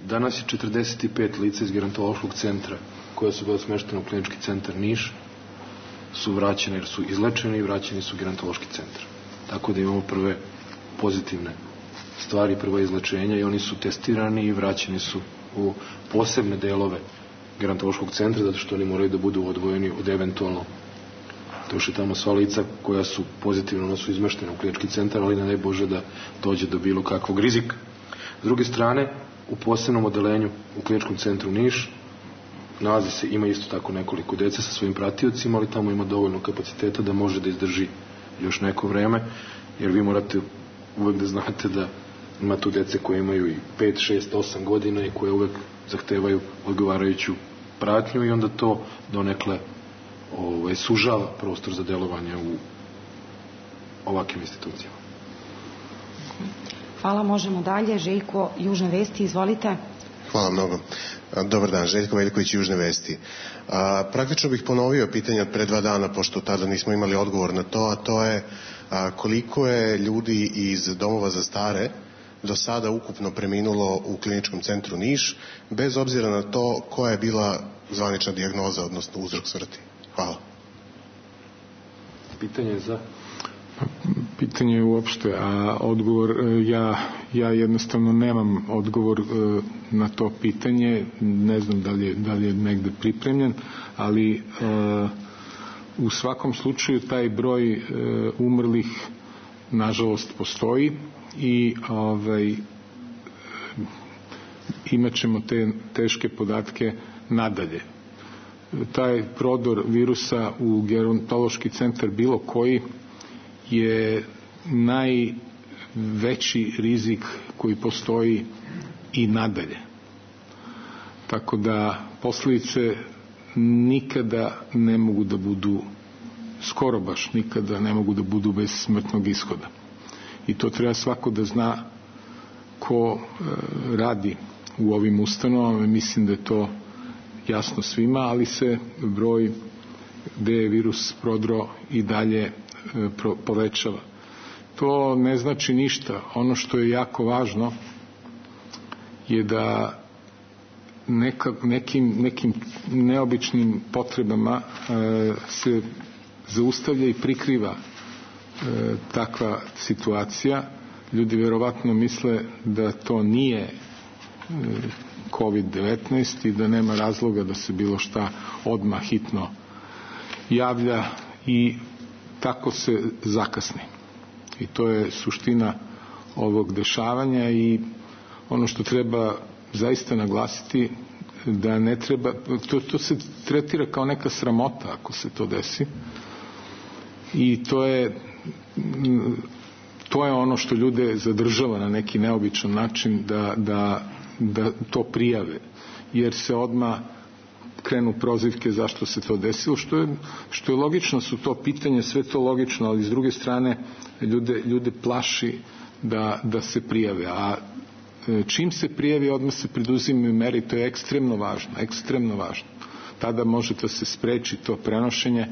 danas je 45 lica iz gerontološkog centra koja su bila smeštena u klinički centar Niš, su vraćene jer su izlečeni i vraćeni su u gerontološki centar. Tako da imamo prve pozitivne stvari, prva izlečenja i oni su testirani i vraćeni su u posebne delove gerontološkog centra, zato što oni moraju da budu odvojeni od eventualno došli tamo sva lica koja su pozitivno, ona su izmeštena u klinički centar, ali ne daj Bože da dođe do bilo kakvog rizika. S druge strane, u posebnom odelenju u kliničkom centru Niš nalazi se, ima isto tako nekoliko dece sa svojim pratiocima, ali tamo ima dovoljno kapaciteta da može da izdrži još neko vreme, jer vi morate uvek da znate da ima tu dece koje imaju i 5, 6, 8 godina i koje uvek zahtevaju odgovarajuću pratnju i onda to donekle sužava prostor za delovanje u ovakvim institucijama. Hvala, možemo dalje. Željko, Južne vesti, izvolite. Hvala mnogo. Dobar dan, Željko Veljković, Južne vesti. Praktično bih ponovio pitanje od pre 2 dana, pošto tada nismo imali odgovor na to, a to je koliko je ljudi iz domova za stare do sada ukupno preminulo u kliničkom centru Niš, bez obzira na to koja je bila zvanična dijagnoza, odnosno uzrok smrti. Hvala. Pitanje je za... pitanje uopšte, a odgovor, ja jednostavno nemam odgovor na to pitanje, ne znam da li je negde pripremljen, ali u svakom slučaju taj broj umrlih nažalost postoji i imat ćemo te teške podatke nadalje. Taj prodor virusa u gerontološki centar bilo koji je najveći rizik koji postoji i nadalje. Tako da posljedice nikada ne mogu da budu, skoro baš nikada ne mogu da budu bez smrtnog ishoda. I to treba svako da zna ko radi u ovim ustanovama. Mislim da je to jasno svima, ali se broj gde je virus prodro i dalje povećava. To ne znači ništa. Ono što je jako važno je da nekim neobičnim potrebama se zaustavlja i prikriva takva situacija. Ljudi verovatno misle da to nije COVID-19 i da nema razloga da se bilo šta odmah hitno javlja i tako se zakasni. I to je suština ovog dešavanja i ono što treba zaista naglasiti da ne treba, to se tretira kao neka sramota ako se to desi i to je ono što ljude zadržava na neki neobičan način da to prijave, jer se odmah krenu prozivke zašto se to desilo, što je logično, su to pitanje, sve to logično, ali s druge strane ljude plaši da se prijave, a čim se prijavi odmah se preduzimaju mere i to je ekstremno važno. Tada može da se spreči to prenošenje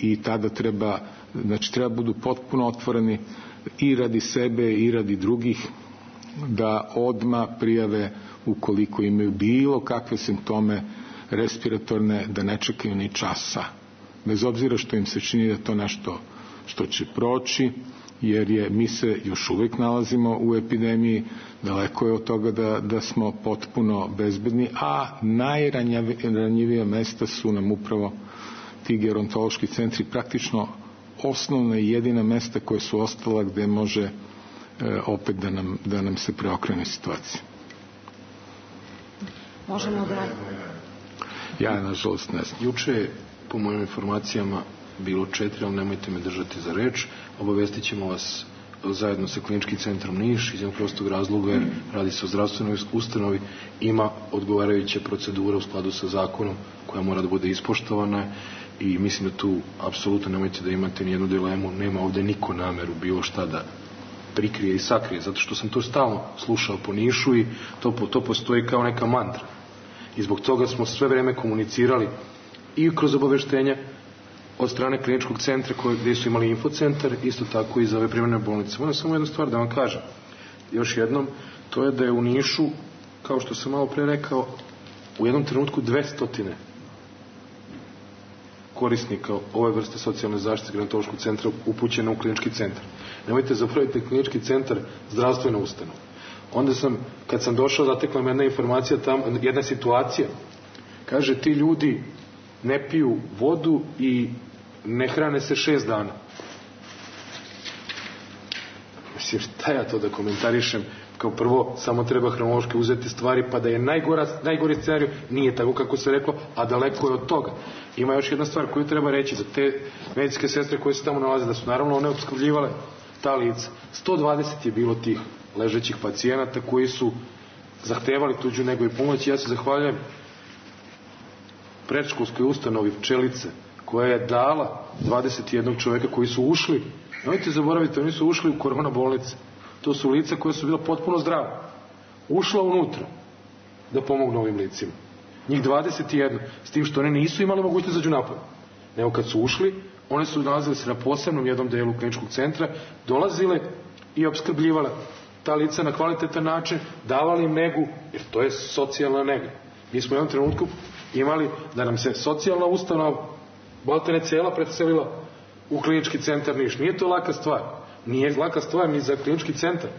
i tada treba budu potpuno otvoreni i radi sebe i radi drugih, da odmah prijave ukoliko imaju bilo kakve simptome respiratorne, da ne čekaju ni časa, bez obzira što im se čini da to nešto što će proći, jer mi se još uvijek nalazimo u epidemiji, daleko je od toga da smo potpuno bezbedni, a najranjivija mesta su nam upravo ti gerontološki centri, praktično osnovna i jedina mesta koje su ostala gde može opet da nam se preokrene situacija. Možemo da... Ja, nažalost, ne znam. Juče je, po mojim informacijama, bilo 4, ali nemojte me držati za reč. Obavestit ćemo vas zajedno sa Kliničkim centrom Niš, iz jednog prostog razloga jer radi se o zdravstvenoj ustanovi, ima odgovarajuće procedure u skladu sa zakonom koja mora da bude ispoštovana i mislim da tu apsolutno nemojte da imate nijednu dilemu, nema ovde niko nameru bilo šta da prikrije i sakrije, zato što sam to stalno slušao po Nišu i to postoji kao neka mantra. I zbog toga smo sve vreme komunicirali i kroz obaveštenja od strane kliničkog centra gdje su imali infocentar, isto tako i za ove privremene bolnice. Moram samo jednu stvar da vam kažem. Još jednom, to je da je u Nišu, kao što sam malo pre rekao, u jednom trenutku 200 korisnika ove vrste socijalne zaštite gerontološkog centra upućeno u klinički centar. Nemojte zaboraviti klinički centar zdravstvena ustanova. Onda kad sam došao, zatekla me jedna informacija tamo, jedna situacija. Kaže, ti ljudi ne piju vodu i ne hrane se 6 dana. Mislim, šta ja to da komentarišem? Kao prvo, samo treba hronološki uzeti stvari, pa da je najgori scenarij, nije tako kako se reklo, a daleko je od toga. Ima još jedna stvar koju treba reći za te medicinske sestre koje se tamo nalaze, da su naravno one opskrbljivale ta lica. 120 je bilo tih ležećih pacijenata koji su zahtevali tuđu nego i pomoć. Ja se zahvaljujem predškolskoj ustanovi Pčelice koja je dala 21 čoveka koji su ušli, nemojte zaboraviti, oni su ušli u korona bolnice. To su lica koja su bila potpuno zdrava. Ušla unutra da pomognu ovim licima. Njih 21, s tim što one nisu imali mogućnost da zađu napad. Nego kad su ušli, one su nalazile se na posebnom jednom delu kliničkog centra, dolazile i opskrbljivale ta lica na kvalitetan način, davali im negu, jer to je socijalna nega. Mi smo u jednom trenutku imali da nam se socijalna ustanova maltene cela predselila u klinički centar Niš. Nije to laka stvar. Nije laka stvar ni za klinički centar.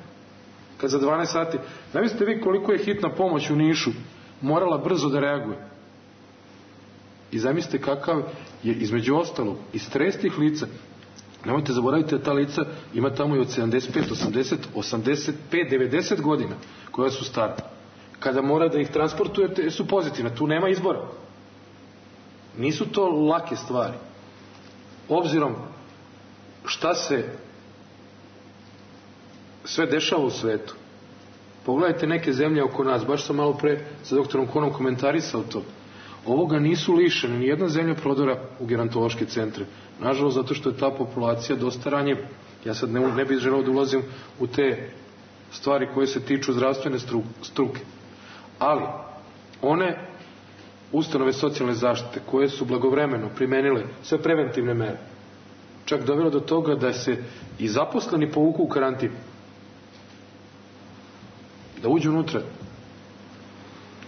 Kad za 12 sati, zamislite vi koliko je hitna pomoć u Nišu morala brzo da reaguje. I zamislite kakav je između ostalog i stres tih lica. Nemojte zaboraviti da ta lica ima tamo i od 75, 80, 85, 90 godina koja su stara. Kada mora da ih transportujete su pozitivne, tu nema izbora. Nisu to lake stvari. Obzirom šta se sve dešava u svetu. Pogledajte neke zemlje oko nas, baš sam malo pre sa doktorom Konom komentarisao to. Ovoga nisu lišene, nijedna zemlja prodora u gerontološke centre. Nažalost, zato što je ta populacija dosta ranjiva. Ja sad ne bih želeo da ulazim u te stvari koje se tiču zdravstvene struke. Ali, one ustanove socijalne zaštite koje su blagovremeno primenile sve preventivne mere, čak dovelo do toga da se i zaposleni povuku u karantin, da uđu unutra,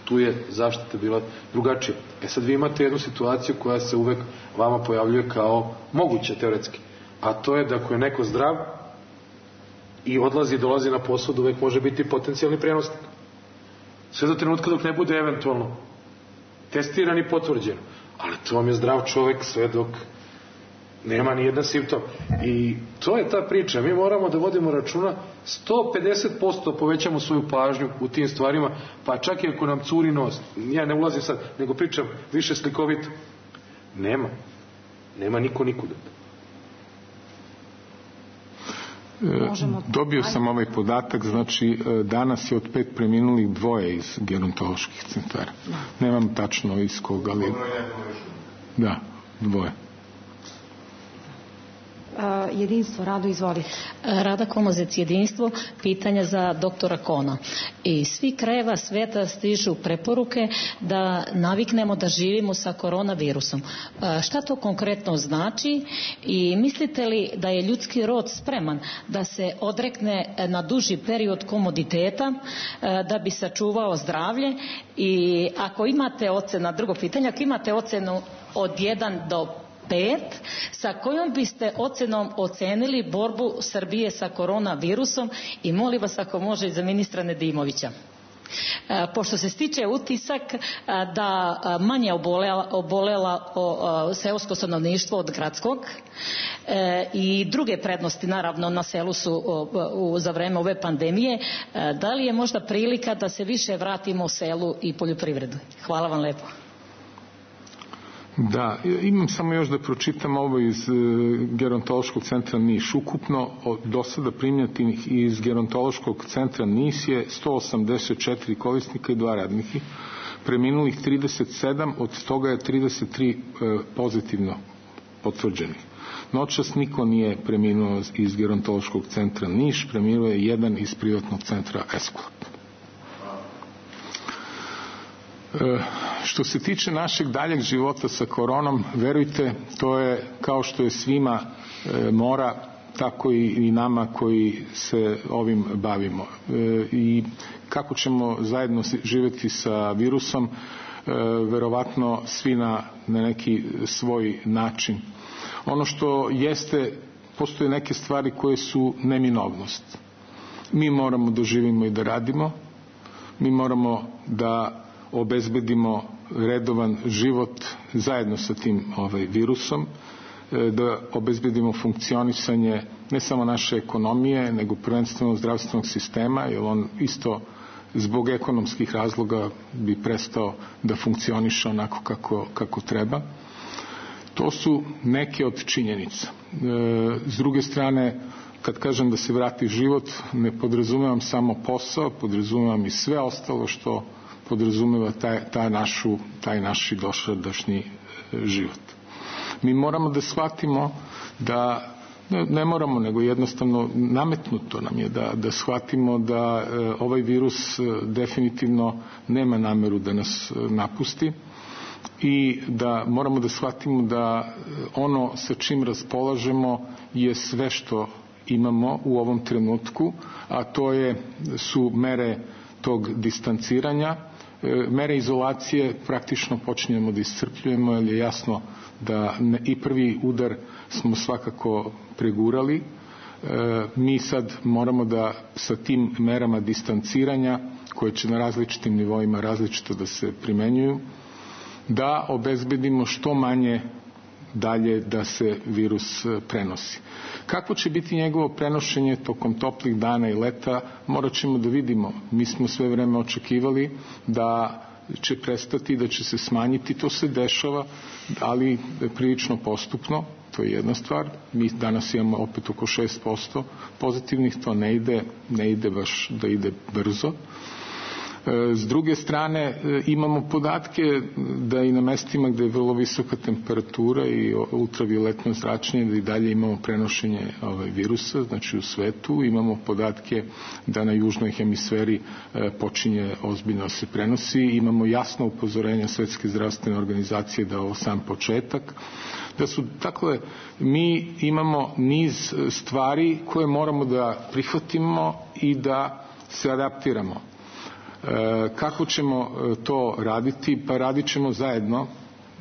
tu je zaštita bila drugačija. Sad vi imate jednu situaciju koja se uvek vama pojavljuje kao moguća teoretski, a to je da ako je neko zdrav i odlazi i dolazi na posao, da uvek može biti potencijalni prenosnik. Sve do trenutka dok ne bude eventualno testiran i potvrđen. Ali to vam je zdrav čovek sve dok nema ni jedan simptom. I to je ta priča. Mi moramo da vodimo računa, 150% povećamo svoju pažnju u tim stvarima, pa čak i ako nam curi nos. Ja ne ulazim sad, nego pričam više slikovito. Nema niko nikuda. Dobio sam ovaj podatak, znači danas je od 5 preminulih 2 iz gerontoloških centara. Nemam tačno iz koga, ali... Da, 2. Jedinstvo, Rado, izvoli. Rada Komozec, Jedinstvo, pitanja za doktora Kona. Iz svih krajeva sveta stižu preporuke da naviknemo da živimo sa koronavirusom. Šta to konkretno znači i mislite li da je ljudski rod spreman da se odrekne na duži period komoditeta da bi sačuvao zdravlje? I ako imate ocenu, drugo pitanje, ako imate ocenu od 1 do 5, sa kojom biste ocenom ocenili borbu Srbije sa koronavirusom i molim vas ako može i za ministra Nedimovića. Pošto se stiče utisak da manje obolela seosko stanovništvo od gradskog i druge prednosti naravno na selu su za vreme ove pandemije, da li je možda prilika da se više vratimo selu i poljoprivredu? Hvala vam lepo. Da, imam samo još da pročitam ovo iz gerontološkog centra Niš. Ukupno do sada primljenih iz gerontološkog centra Niš je 184 korisnika i 2 radnika. Preminulih 37, od toga je 33 pozitivno potvrđenih. Noćas niko nije preminuo iz gerontološkog centra Niš, preminuo je jedan iz privatnog centra Esklop. Što se tiče našeg daljeg života sa koronom, verujte, to je kao što je svima mora, tako i nama koji se ovim bavimo. I kako ćemo zajedno živjeti sa virusom, verovatno svi na neki svoj način. Ono što jeste, postoje neke stvari koje su neminovnost. Mi moramo da živimo i da radimo, mi moramo da obezbedimo redovan život zajedno sa tim virusom, da obezbedimo funkcionisanje ne samo naše ekonomije, nego prvenstveno zdravstvenog sistema, jer on isto zbog ekonomskih razloga bi prestao da funkcioniše onako kako treba. To su neke od činjenica. S druge strane, kad kažem da se vrati život, ne podrazumevam samo posao, podrazumevam i sve ostalo što podrazumeva taj naš dosadašnji život. Mi moramo da shvatimo da, ne moramo, nego jednostavno nametnuto nam je da shvatimo da ovaj virus definitivno nema nameru da nas napusti i da moramo da shvatimo da ono sa čim raspolažemo je sve što imamo u ovom trenutku, a to su mere tog distanciranja, mere izolacije praktično počinjemo da iscrpljujemo, jer je jasno da i prvi udar smo svakako pregurali. Mi sad moramo da sa tim merama distanciranja, koje će na različitim nivoima različito da se primenjuju, da obezbedimo što manje dalje da se virus prenosi. Kako će biti njegovo prenošenje tokom toplih dana i leta, morat ćemo da vidimo. Mi smo sve vreme očekivali da će prestati, da će se smanjiti, to se dešava, ali prilično postupno, to je jedna stvar. Mi danas imamo opet oko 6% pozitivnih, to ne ide baš da ide brzo. S druge strane, imamo podatke da i na mestima gde je vrlo visoka temperatura i ultravioletno zračenje, da i dalje imamo prenošenje virusa, znači u svetu. Imamo podatke da na južnoj hemisferi počinje ozbiljno se prenosi. Imamo jasno upozorenja Svetske zdravstvene organizacije da je ovo sam početak. Dakle, mi imamo niz stvari koje moramo da prihvatimo i da se adaptiramo. Kako ćemo to raditi? Pa radit ćemo zajedno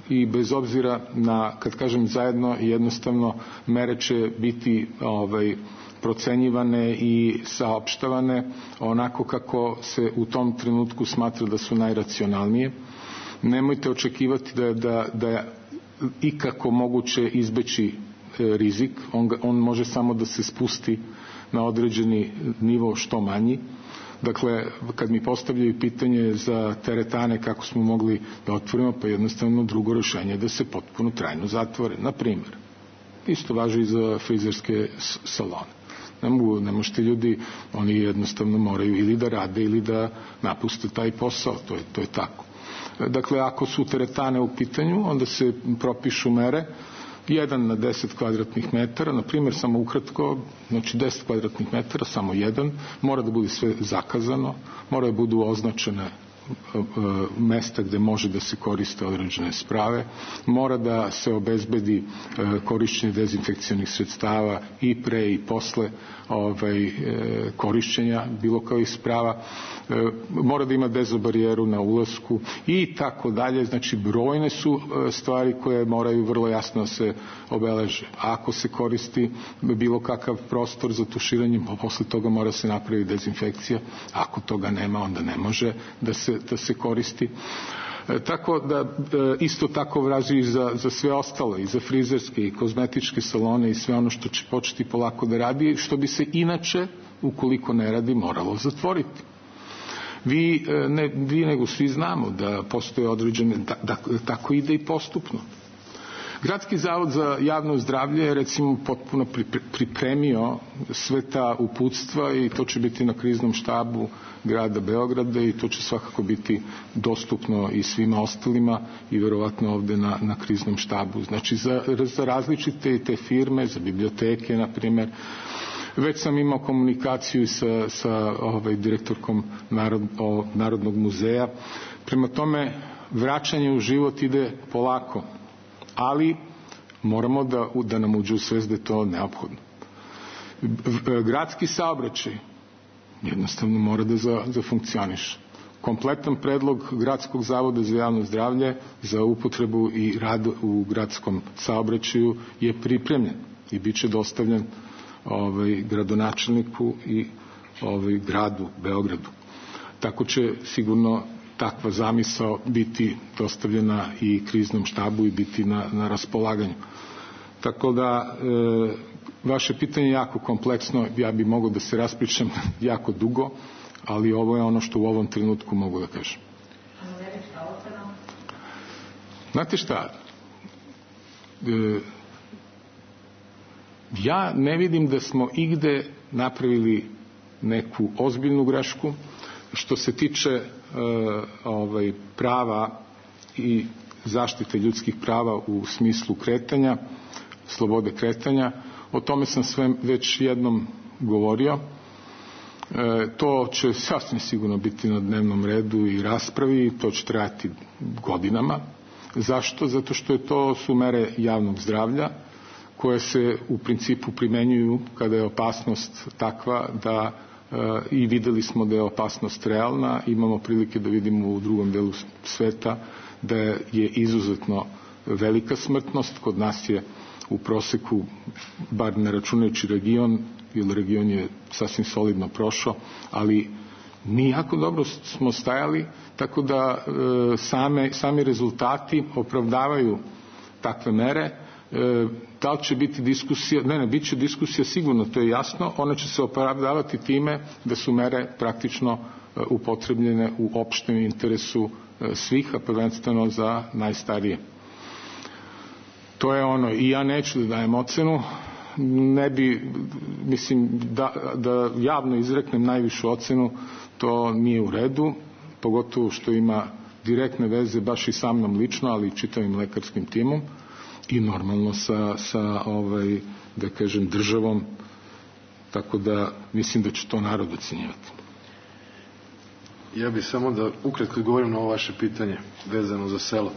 i bez obzira na, kad kažem zajedno, jednostavno mere će biti procenjivane i saopštavane onako kako se u tom trenutku smatra da su najracionalnije. Nemojte očekivati da je ikako moguće izbeći rizik. On može samo da se spusti na određeni nivo što manji. Dakle, kad mi postavljaju pitanje za teretane kako smo mogli da otvorimo, pa jednostavno drugo rešenje je da se potpuno trajno zatvore. Na primjer, isto važi i za frizerske salone. Ne možete ljudi, oni jednostavno moraju ili da rade ili da napuste taj posao, to je tako. Dakle, ako su teretane u pitanju, onda se propišu mere 1 na 10 kvadratnih metara, na primjer samo ukratko, znači 10 kvadratnih metara, samo jedan, mora da bude sve zakazano, mora da budu označene mesta gde može da se koriste određene sprave, mora da se obezbedi korišćenje dezinfekcionih sredstava i pre i posle korišćenja bilo kojih sprava, mora da ima dezobarijeru na ulasku i tako dalje. Znači brojne su stvari koje moraju vrlo jasno se obeleže. Ako se koristi bilo kakav prostor za tuširanje, posle toga mora se napraviti dezinfekcija. Ako toga nema, onda ne može da se koristi. Tako da isto tako vraži i za sve ostalo, i za frizerske i kozmetičke salone i sve ono što će početi polako da radi, što bi se inače, ukoliko ne radi, moralo zatvoriti. Vi nego svi znamo da postoje određene, da tako ide i postupno. Gradski zavod za javno zdravlje je recimo potpuno pripremio sve ta uputstva i to će biti na kriznom štabu grada Beograda i to će svakako biti dostupno i svima ostalima i verovatno ovde na kriznom štabu. Znači za različite te firme, za biblioteke na primjer. Već sam imao komunikaciju sa direktorkom Narodnog muzeja. Prema tome, vraćanje u život ide polako, ali moramo da nam uđe u svest da je to neophodno. Gradski saobraćaj jednostavno mora da zafunkcioniše. Kompletan predlog Gradskog zavoda za javno zdravlje za upotrebu i rad u gradskom saobraćaju je pripremljen i bit će dostavljen gradonačelniku i gradu Beogradu. Tako će sigurno takva zamisao biti dostavljena i kriznom štabu i biti na raspolaganju. Tako da vaše pitanje je jako kompleksno, ja bi mogao da se raspričam jako dugo, ali ovo je ono što u ovom trenutku mogu da kažem. Znate šta, ja ne vidim da smo igde napravili neku ozbiljnu grešku. Što se tiče prava i zaštite ljudskih prava u smislu kretanja, slobode kretanja, o tome sam sve već jednom govorio. To će sasvim sigurno biti na dnevnom redu i raspravi i to će trajati godinama. Zašto? Zato što to su mere javnog zdravlja koje se u principu primenjuju kada je opasnost takva da i videli smo da je opasnost realna. Imamo prilike da vidimo u drugom delu sveta da je izuzetno velika smrtnost. Kod nas je u proseku, bar ne računajući region, jer region je sasvim solidno prošao, ali mi jako dobro smo stajali, tako da sami rezultati opravdavaju takve mere. Da li će biti diskusija? Ne, bit će diskusija sigurno, to je jasno. Ona će se opravdavati time da su mere praktično upotrebljene u opštem interesu svih, a prvenstveno za najstarije. To je ono, i ja neću da dajem ocenu, ne bi, mislim, da javno izreknem najvišu ocenu, to nije u redu, pogotovo što ima direktne veze baš i sa mnom lično, ali i čitavim lekarskim timom i normalno sa da kažem, državom, tako da mislim da će to narod ocenjivati. Ja bih samo da ukratko govorim na ovo vaše pitanje vezano za selo.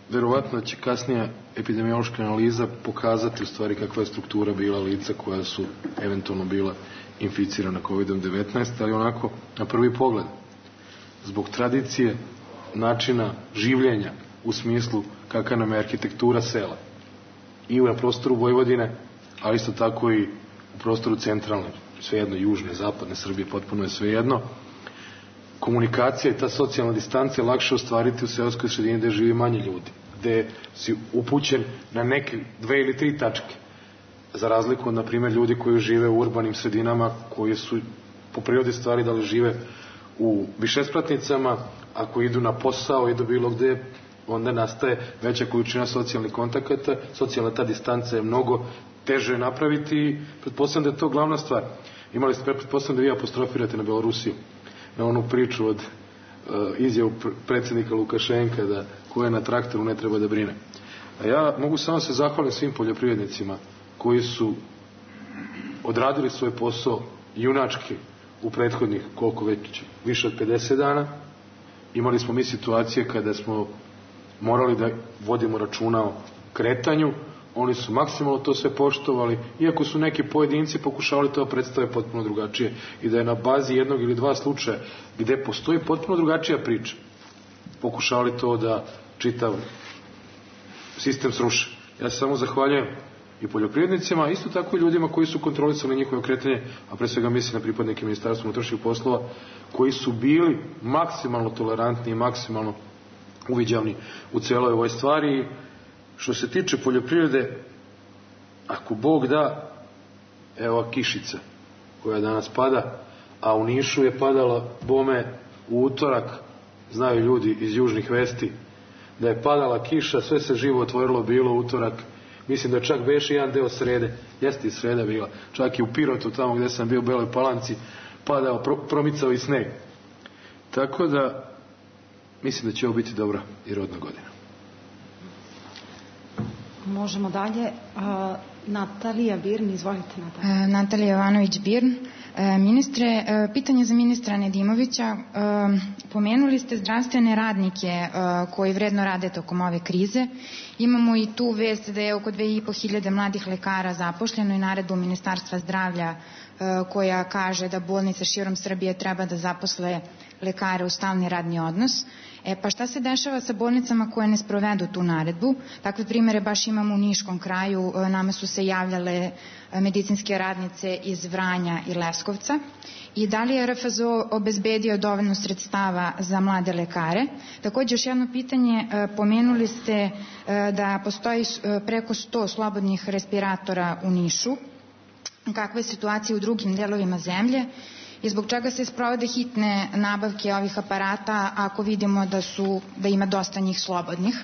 Verovatno će kasnija epidemiološka analiza pokazati u stvari kakva je struktura bila lica koja su eventualno bila inficirana COVID-19, ali onako na prvi pogled, zbog tradicije, načina življenja u smislu kakva nam je arhitektura sela i na prostoru Vojvodine, ali isto tako i u prostoru centralne, svejedno južne, zapadne Srbije, potpuno je svejedno. Komunikacija i ta socijalna distanca je lakše ostvariti u seoskoj sredini gde živi manje ljudi, gde si upućen na neke 2 ili 3 tačke, za razliku od, na primjer, ljudi koji žive u urbanim sredinama, koji su po prirodi stvari da li žive u višespratnicama, ako idu na posao, idu bilo gde, onda nastaje veća količina socijalnih kontakata, socijalna ta distanca je mnogo teže napraviti i pretpostavljam da je to glavna stvar. Imali ste, pretpostavljam da vi apostrofirate na Belorusiju, na onu priču od izjavu predsjednika Lukašenka da ko je na traktoru ne treba da brine. A ja mogu samo se zahvaliti svim poljoprivrednicima koji su odradili svoj posao junački u prethodnih koliko već, više od 50 dana. Imali smo mi situacije kada smo morali da vodimo računa o kretanju, oni su maksimalno to sve poštovali, iako su neki pojedinci pokušavali to predstave potpuno drugačije i da je na bazi 1 ili 2 slučaja gde postoji potpuno drugačija priča pokušavali to da čitav sistem sruše. Ja se samo zahvaljujem i poljoprivrednicima, isto tako i ljudima koji su kontrolisali njihove kretanje, a pre svega mislim na pripadnike Ministarstva unutrašnjih poslova, koji su bili maksimalno tolerantni i maksimalno uviđavni u celoj ovoj stvari. Što se tiče poljoprivrede, ako Bog da, evo kišica koja danas pada, a u Nišu je padala bome u utorak, znaju ljudi iz južnih vesti, da je padala kiša, sve se živo otvorilo bilo u utorak, mislim da čak beše jedan deo srede, jeste i sreda bila, čak i u Pirotu, tamo gde sam bio u Beloj Palanci, padao, promicao i sneg. Tako da, mislim da će ovo biti dobra i rodna godina. Možemo dalje. Natalija Birn, izvolite Natalija. Natalija Jovanović-Birn. Ministre, pitanje za ministra Nedimovića. Pomenuli ste zdravstvene radnike koji vredno rade tokom ove krize. Imamo i tu vest da je oko 2500 mladih lekara zaposleno i naredbu Ministarstva zdravlja koja kaže da bolnice širom Srbije treba da zaposle lekare u stalni radni odnos. Pa šta se dešava sa bolnicama koje ne sprovedu tu naredbu? Takve primere baš imamo u Niškom kraju, nama su se javljale medicinske radnice iz Vranja i Leskovca. I da li je RFZO obezbedio dovoljno sredstava za mlade lekare? Takođe, još jedno pitanje, pomenuli ste da postoji preko 100 slobodnih respiratora u Nišu. Kakva je situacija u drugim delovima zemlje? I zbog čega se sprovode hitne nabavke ovih aparata ako vidimo da ima dosta njih slobodnih?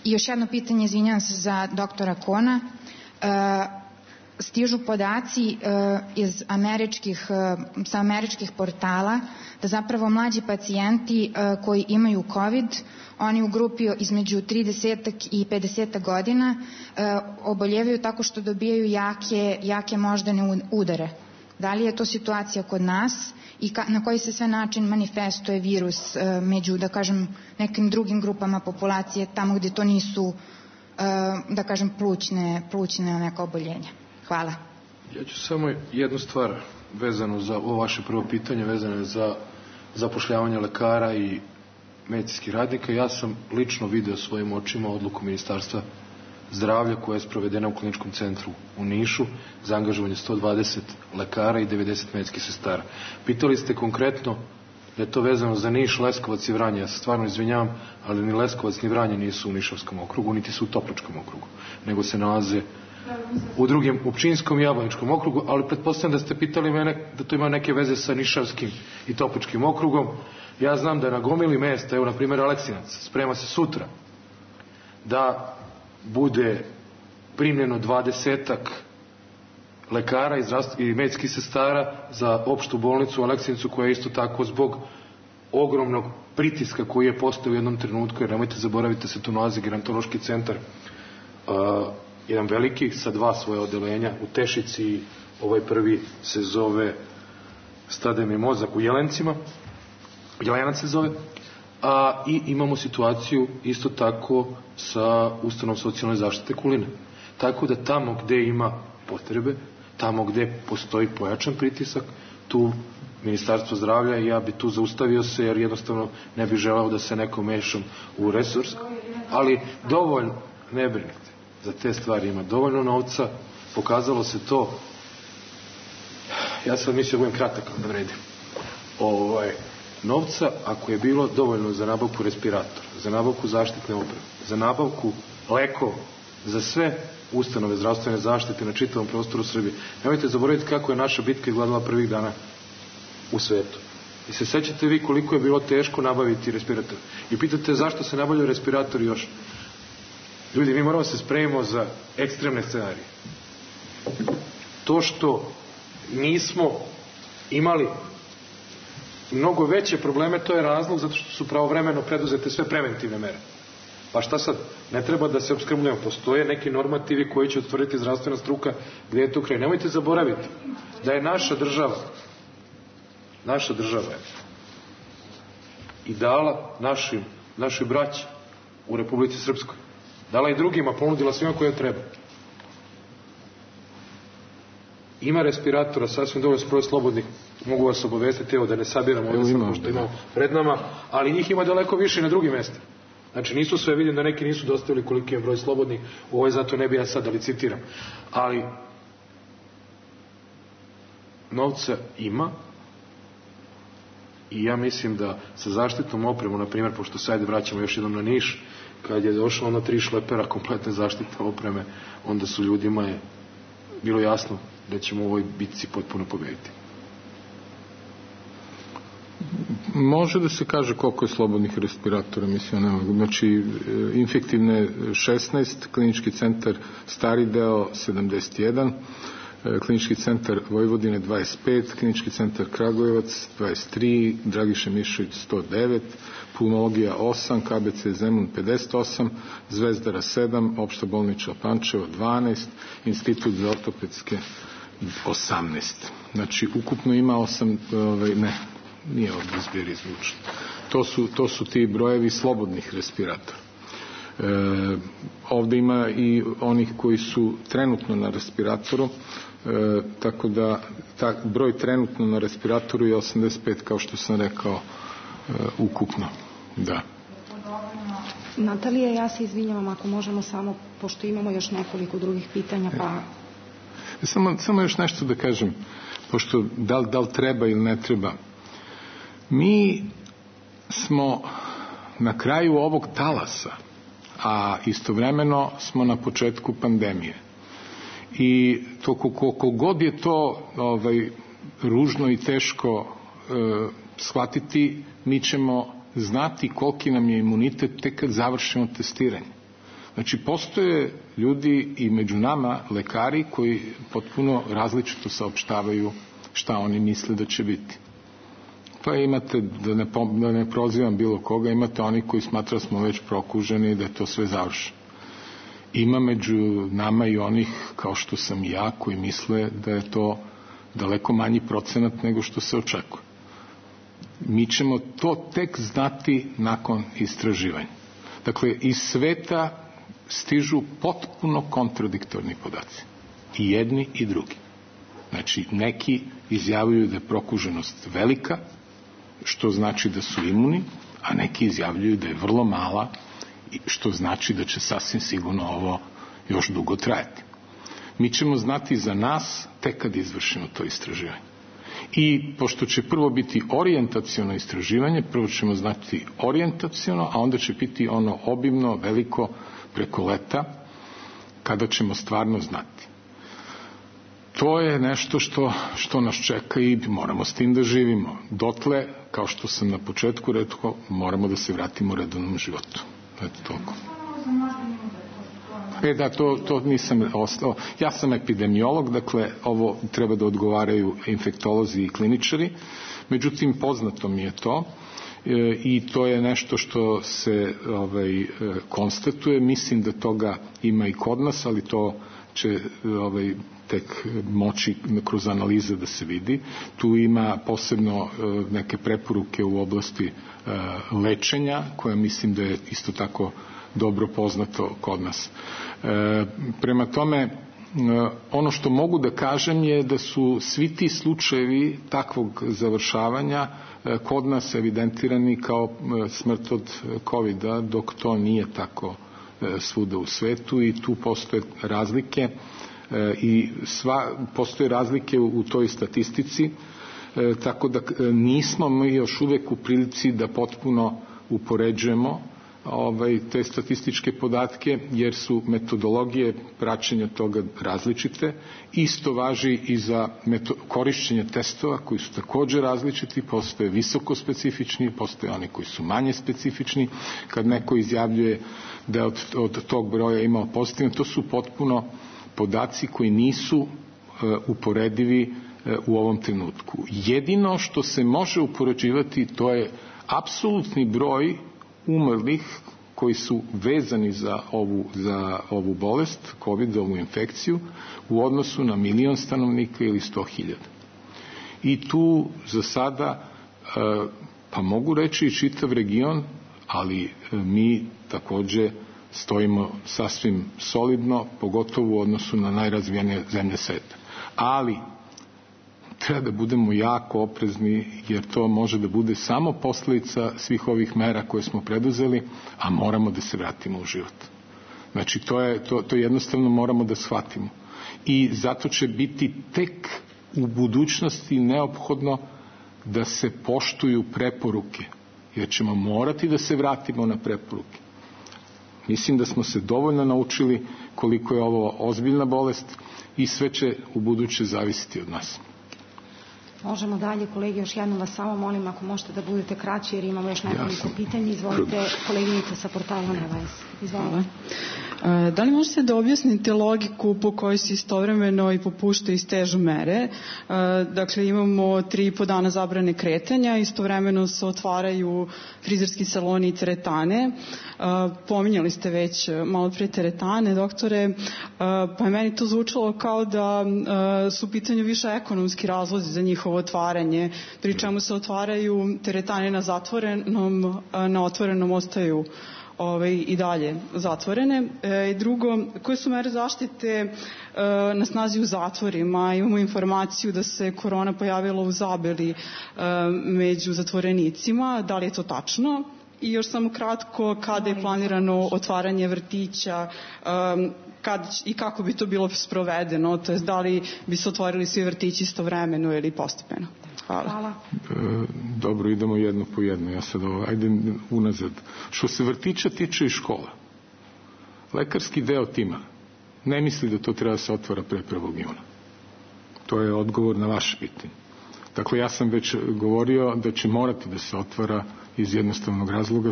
I još jedno pitanje, izvinjam se, za doktora Kona. Stižu podaci sa američkih portala da zapravo mlađi pacijenti koji imaju COVID, oni u grupi između 30 i 50 godina oboljevaju tako što dobijaju jake moždane udare. Da li je to situacija kod nas i na koji se sve način manifestuje virus među, da kažem, nekim drugim grupama populacije, tamo gde to nisu, da kažem, plućne neka oboljenja? Hvala. Ja ću samo jednu stvar vezano za ovo vaše prvo pitanje, vezano je za zapošljavanje lekara i medicinskih radnika. Ja sam lično video svojim očima odluku Ministarstva zdravlja koja je sprovedena u kliničkom centru u Nišu za angažovanje 120 lekara i 90 medicinskih sestara. Pitali ste konkretno da je to vezano za Niš, Leskovac i Vranje. Ja se stvarno izvinjavam, ali ni Leskovac ni Vranje nisu u Nišavskom okrugu, niti su u Topličkom okrugu, nego se nalaze u drugim, u Pčinjskom i Jablaničkom okrugu, ali pretpostavljam da ste pitali mene da to ima neke veze sa Nišavskim i Topličkim okrugom. Ja znam da na gomili mesta, evo na primjer Aleksinac, sprema se sutra da bude primljeno 20-ak lekara i medicinskih sestara za opštu bolnicu u Aleksinacu, koja je isto tako zbog ogromnog pritiska koji je postao u jednom trenutku, jer nemojte zaboraviti da se tu nalazi gerontološki centar, jedan veliki sa 2 svoje odelenja u Tešici, ovaj prvi se zove Stade mi mozak u Jelencima, Jelenac se zove, i imamo situaciju isto tako sa ustanovom socijalne zaštite Kulina. Tako da tamo gde ima potrebe, tamo gde postoji pojačan pritisak, tu Ministarstvo zdravlja, i ja bi tu zaustavio se, jer jednostavno ne bi želeo da se neko mešam u resurs, ali dovoljno, ne brinite, za te stvari ima dovoljno novca, pokazalo se to, ja sam mislio da budem kratak, da vredim, novca, ako je bilo dovoljno za nabavku respiratora, za nabavku zaštitne opreme, za nabavku lekova, za sve ustanove zdravstvene zaštite na čitavom prostoru Srbije. Nemojte zaboraviti kako je naša bitka izgledala prvih dana u svetu. I se sećate vi koliko je bilo teško nabaviti respirator. I pitate zašto se nabavljaju respiratori još. Ljudi, mi moramo se spremimo za ekstremne scenarije. To što nismo imali mnogo veće probleme, to je razlog zato što su pravovremeno preduzete sve preventivne mere. Pa šta sad? Ne treba da se opskrbljujemo. Postoje neki normativi koji će utvrditi zdravstvena struka gdje je to kraj. Nemojte zaboraviti da je naša država je i dala našoj braći u Republici Srpskoj. Dala i drugima, ponudila svima koje treba. Ima respiratora, sasvim dovoljno broj slobodnih, mogu vas obavestiti, evo da ne sabiramo ovdje samo što imamo pred nama, ali njih ima daleko više na drugim mjestima. Znači nisu sve, vidim da neki nisu dostavili koliki je broj slobodnih, zato ne bi ja sad da licitiram. Ali novca ima i ja mislim da sa zaštitnom opremom, na primjer, pošto sad vraćamo još jednom na Niš, kad je došlo ono 3 šlepera kompletne zaštitne opreme, onda su ljudima je bilo jasno da ćemo u ovoj bitci potpuno pobediti. Može da se kaže koliko je slobodnih respiratora, mislim, ne mogu. Znači, infektivne 16, klinički centar Stari deo 71, klinički centar Vojvodine 25, klinički centar Kragujevac 23, Dragiša Mišović 109, pulmologija 8, KBC Zemun 58, Zvezdara 7, opšta bolnička Pančevo 12, institut za ortopedske 18. Znači, ukupno ima 8, nije ovdje zbir izvučen. To su ti brojevi slobodnih respiratora. Ovdje ima i onih koji su trenutno na respiratoru, tako da broj trenutno na respiratoru je 85, kao što sam rekao, ukupno. Da. Natalija, ja se izvinjavam ako možemo samo, pošto imamo još nekoliko drugih pitanja, pa... Samo još nešto da kažem, pošto da li treba ili ne treba. Mi smo na kraju ovog talasa, a istovremeno smo na početku pandemije. I to koliko god je to ružno i teško shvatiti, mi ćemo znati koliki nam je imunitet tek kad završimo testiranje. Znači, postoje ljudi i među nama lekari koji potpuno različito saopštavaju šta oni misle da će biti. Pa imate, da ne prozivam bilo koga, imate oni koji smatra da smo već prokuženi i da je to sve završeno. Ima među nama i onih, kao što sam i ja, koji misle da je to daleko manji procenat nego što se očekuje. Mi ćemo to tek znati nakon istraživanja. Dakle, iz sveta stižu potpuno kontradiktorni podaci. I jedni i drugi. Znači, neki izjavljuju da je prokuženost velika, što znači da su imuni, a neki izjavljuju da je vrlo mala, što znači da će sasvim sigurno ovo još dugo trajati. Mi ćemo znati za nas tek kad izvršimo to istraživanje. I pošto će prvo biti orijentaciono istraživanje, prvo ćemo znati orijentaciono, a onda će biti ono obimno, veliko, preko leta, kada ćemo stvarno znati. To je nešto što nas čeka i moramo s tim da živimo. Dotle, kao što sam na početku rekao, moramo da se vratimo u redovnom životu. Eto toliko. Da, to nisam ostao. Ja sam epidemiolog, dakle, ovo treba da odgovaraju infektolozi i kliničari. Međutim, poznato mi je to i to je nešto što se konstatuje. Mislim da toga ima i kod nas, ali to će tek moći kroz analize da se vidi. Tu ima posebno neke preporuke u oblasti lečenja, koje mislim da je isto tako dobro poznato kod nas. Prema tome, ono što mogu da kažem je da su svi ti slučajevi takvog završavanja kod nas evidentirani kao smrt od COVID-a, dok to nije tako svuda u svetu i tu postoje razlike i postoje razlike u toj statistici, tako da nismo mi još uvek u prilici da potpuno upoređujemo te statističke podatke, jer su metodologije praćenja toga različite. Isto važi i za korišćenje testova koji su također različiti, postoje visoko specifični, postoje oni koji su manje specifični. Kad neko izjavljuje da od tog broja imao pozitivno, to su potpuno podaci koji nisu uporedivi u ovom trenutku. Jedino što se može upoređivati to je apsolutni broj umrlih koji su vezani za ovu bolest, COVID, ovu infekciju, u odnosu na 1.000.000 stanovnika ili 100.000. I tu za sada, pa mogu reći i čitav region, ali mi također stojimo sasvim solidno, pogotovo u odnosu na najrazvijenije zemlje sveta. Ali treba da budemo jako oprezni, jer to može da bude samo posljedica svih ovih mera koje smo preduzeli, a moramo da se vratimo u život. Znači, to jednostavno moramo da shvatimo. I zato će biti tek u budućnosti neophodno da se poštuju preporuke, jer ćemo morati da se vratimo na preporuke. Mislim da smo se dovoljno naučili koliko je ovo ozbiljna bolest i sve će u buduće zavisiti od nas. Možemo dalje, kolege, još jednom vas samo molim ako možete da budete kraći jer imamo još nekoliko pitanja. Izvolite, koleginica sa portala Nevajs. Izvolite. Da li možete da objasnite logiku po kojoj se istovremeno i popuštaju i stežu mere? Dakle, imamo 3,5 dana zabrane kretanja, istovremeno se otvaraju frizerski saloni i teretane. Pominjali ste već malo pre teretane, doktore, pa je meni to zvučalo kao da su u pitanju više ekonomski razlozi za njihovo otvaranje, pri čemu se otvaraju teretane na zatvorenom, na otvorenom ostaju i dalje zatvorene. I drugo, koje su mere zaštite na snazi u zatvorima? Imamo informaciju da se korona pojavila u Zabeli među zatvorenicima. Da li je to tačno? I još samo kratko, kada je planirano otvaranje vrtića i kako bi to bilo sprovedeno? To je, da li bi se otvorili svi vrtići istovremeno ili postepeno? Hvala. Dobro, idemo jedno po jedno. Ja sad ajde unazad. Što se vrtića tiče i škola, lekarski deo tima ne misli da to treba da se otvara pre 1. juna. To je odgovor na vaše pitanje. Dakle, ja sam već govorio da će morati da se otvara iz jednostavnog razloga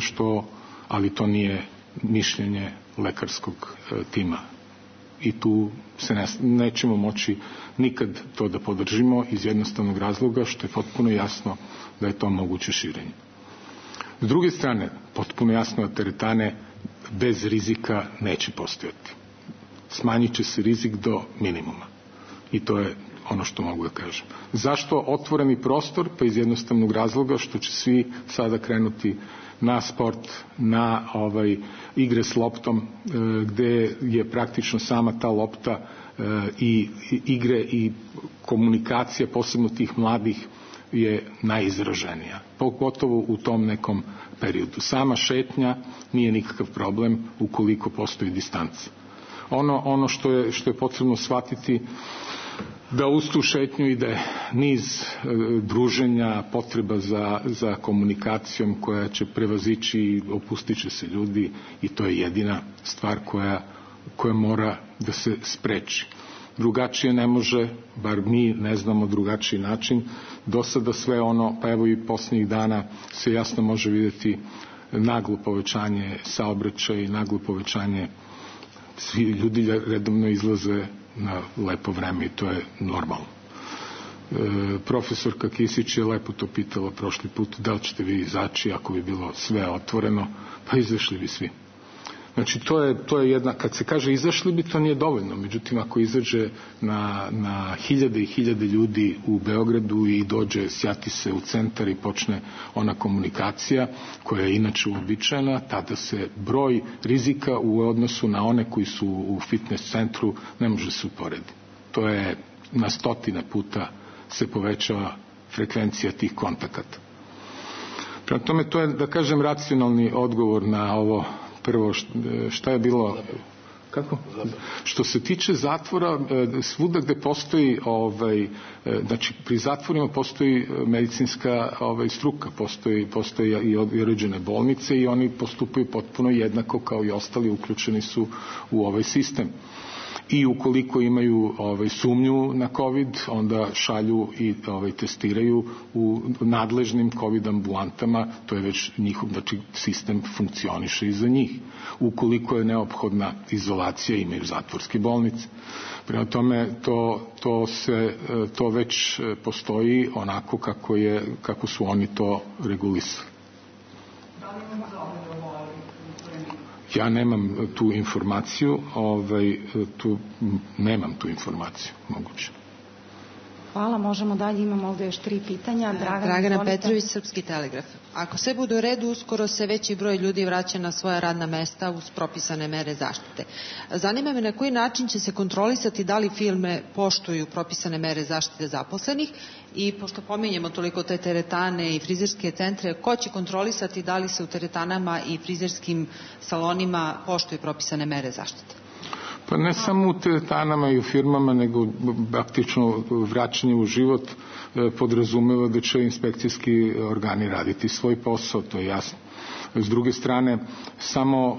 ali to nije mišljenje lekarskog tima. I tu se nećemo moći nikad to da podržimo iz jednostavnog razloga što je potpuno jasno da je to moguće širenje. S druge strane, potpuno jasno da teretane bez rizika neće postojati. Smanjit će se rizik do minimuma. I to je ono što mogu da kažem. Zašto otvoreni prostor? Pa iz jednostavnog razloga što će svi sada krenuti na sport, na igre s loptom, gde je praktično sama ta lopta i igre i komunikacija, posebno tih mladih, je najizraženija, pogotovo u tom nekom periodu. Sama šetnja nije nikakav problem ukoliko postoji distanca. Ono što je potrebno shvatiti, da uz tu šetnju ide niz druženja, potreba za komunikacijom koja će prevazići i opustit će se ljudi, i to je jedina stvar koja mora da se spreči. Drugačije ne može, bar mi ne znamo drugačiji način. Do sada sve ono, pa evo i posljednjih dana se jasno može vidjeti naglo povećanje saobraćaja i naglo povećanje, svi ljudi redovno izlaze na lepo vreme i to je normalno. Profesorka Kisić je lepo to pitala prošli put, da li ćete vi izaći ako bi bilo sve otvoreno, pa izašli bi svi. Znači to je jedna, kad se kaže izašli bi, to nije dovoljno, međutim ako izađe na hiljade i hiljade ljudi u Beogradu i dođe, sjati se u centar i počne ona komunikacija koja je inače uobičajena, tada se broj rizika u odnosu na one koji su u fitness centru ne može se uporediti. To je na stotine puta se povećava frekvencija tih kontakata. Prema tome to je, da kažem, racionalni odgovor na ovo. Prvo, šta je bilo? Kako? Što se tiče zatvora, svuda gde postoji, znači pri zatvorima postoji medicinska struka, postoje i određene bolnice i oni postupaju potpuno jednako kao i ostali, uključeni su u ovaj sistem. I ukoliko imaju sumnju na COVID, onda šalju i testiraju u nadležnim COVID ambulantama, to je već njihov, znači sistem funkcioniše i za njih. Ukoliko je neophodna izolacija, imaju zatvorske bolnice. Prema tome, to već postoji onako kako su oni to regulisali. Ja nemam tu informaciju, nemam tu informaciju, moguće. Hvala, možemo dalje, imamo ovdje još 3 pitanja. Dragana Petrović, Srpski telegraf. Ako sve bude u redu, uskoro se veći broj ljudi vraća na svoja radna mesta uz propisane mere zaštite. Zanima me na koji način će se kontrolisati da li firme poštuju propisane mere zaštite zaposlenih i pošto pominjemo toliko te teretane i frizerske centre, ko će kontrolisati da li se u teretanama i frizerskim salonima poštuju propisane mere zaštite? Pa ne samo u teretanama i u firmama, nego praktično vraćanje u život podrazumeva da će inspekcijski organi raditi svoj posao, to je jasno. S druge strane, samo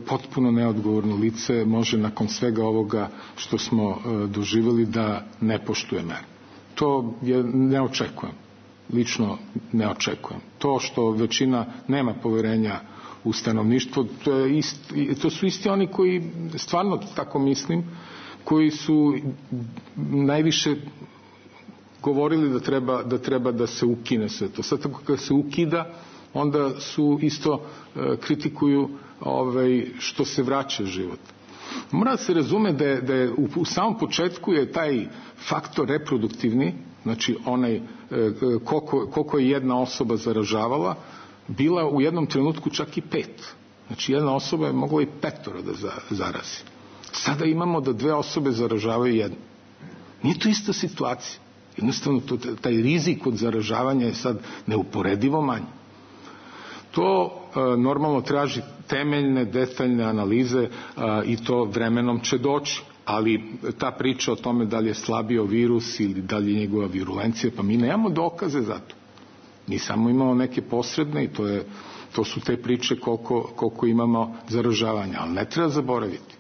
potpuno neodgovorno lice može nakon svega ovoga što smo doživjeli da ne poštuje mere. To ne očekujem, lično ne očekujem. To što većina nema poverenja u stanovništvo, to su isti oni koji, stvarno tako mislim, koji su najviše govorili da treba da se ukine sve to. Sad tako kad se ukida, onda su isto kritikuju što se vraća život. Mora se razume da je u samom početku je taj faktor reproduktivni, znači onaj koliko je jedna osoba zaražavala, bila u jednom trenutku čak i 5. Znači jedna osoba je mogla i 5 da zarazi. Sada imamo da 2 osobe zaražavaju jednu. Nije to ista situacija. Jednostavno taj rizik od zaražavanja je sad neuporedivo manji. To normalno traži temeljne, detaljne analize i to vremenom će doći. Ali ta priča o tome da li je slabio virus ili da li je njegova virulencija, pa mi nemamo dokaze za to. Mi samo imamo neke posredne i to su te priče koliko imamo zaražavanja. Ali ne treba zaboraviti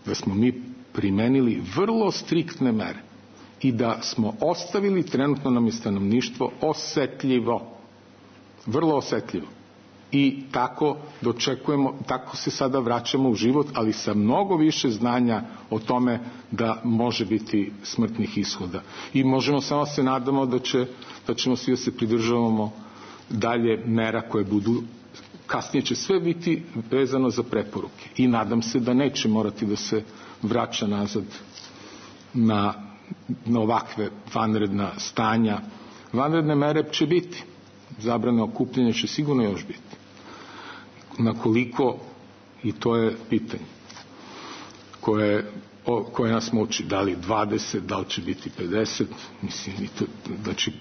da smo mi primenili vrlo striktne mere i da smo ostavili, trenutno nam je stanovništvo osetljivo, vrlo osetljivo. I tako dočekujemo, tako se sada vraćamo u život, ali sa mnogo više znanja o tome da može biti smrtnih ishoda. I možemo samo se nadamo da ćemo svi da se pridržavamo dalje mera koje budu, kasnije će sve biti vezano za preporuke. I nadam se da neće morati da se vraća nazad na ovakve vanredna stanja. Vanredne mere će biti. Zabrane okupljanja će sigurno još biti. Na koliko, i to je pitanje koje nas muči, da li 20, da li će biti 50, mislim, znači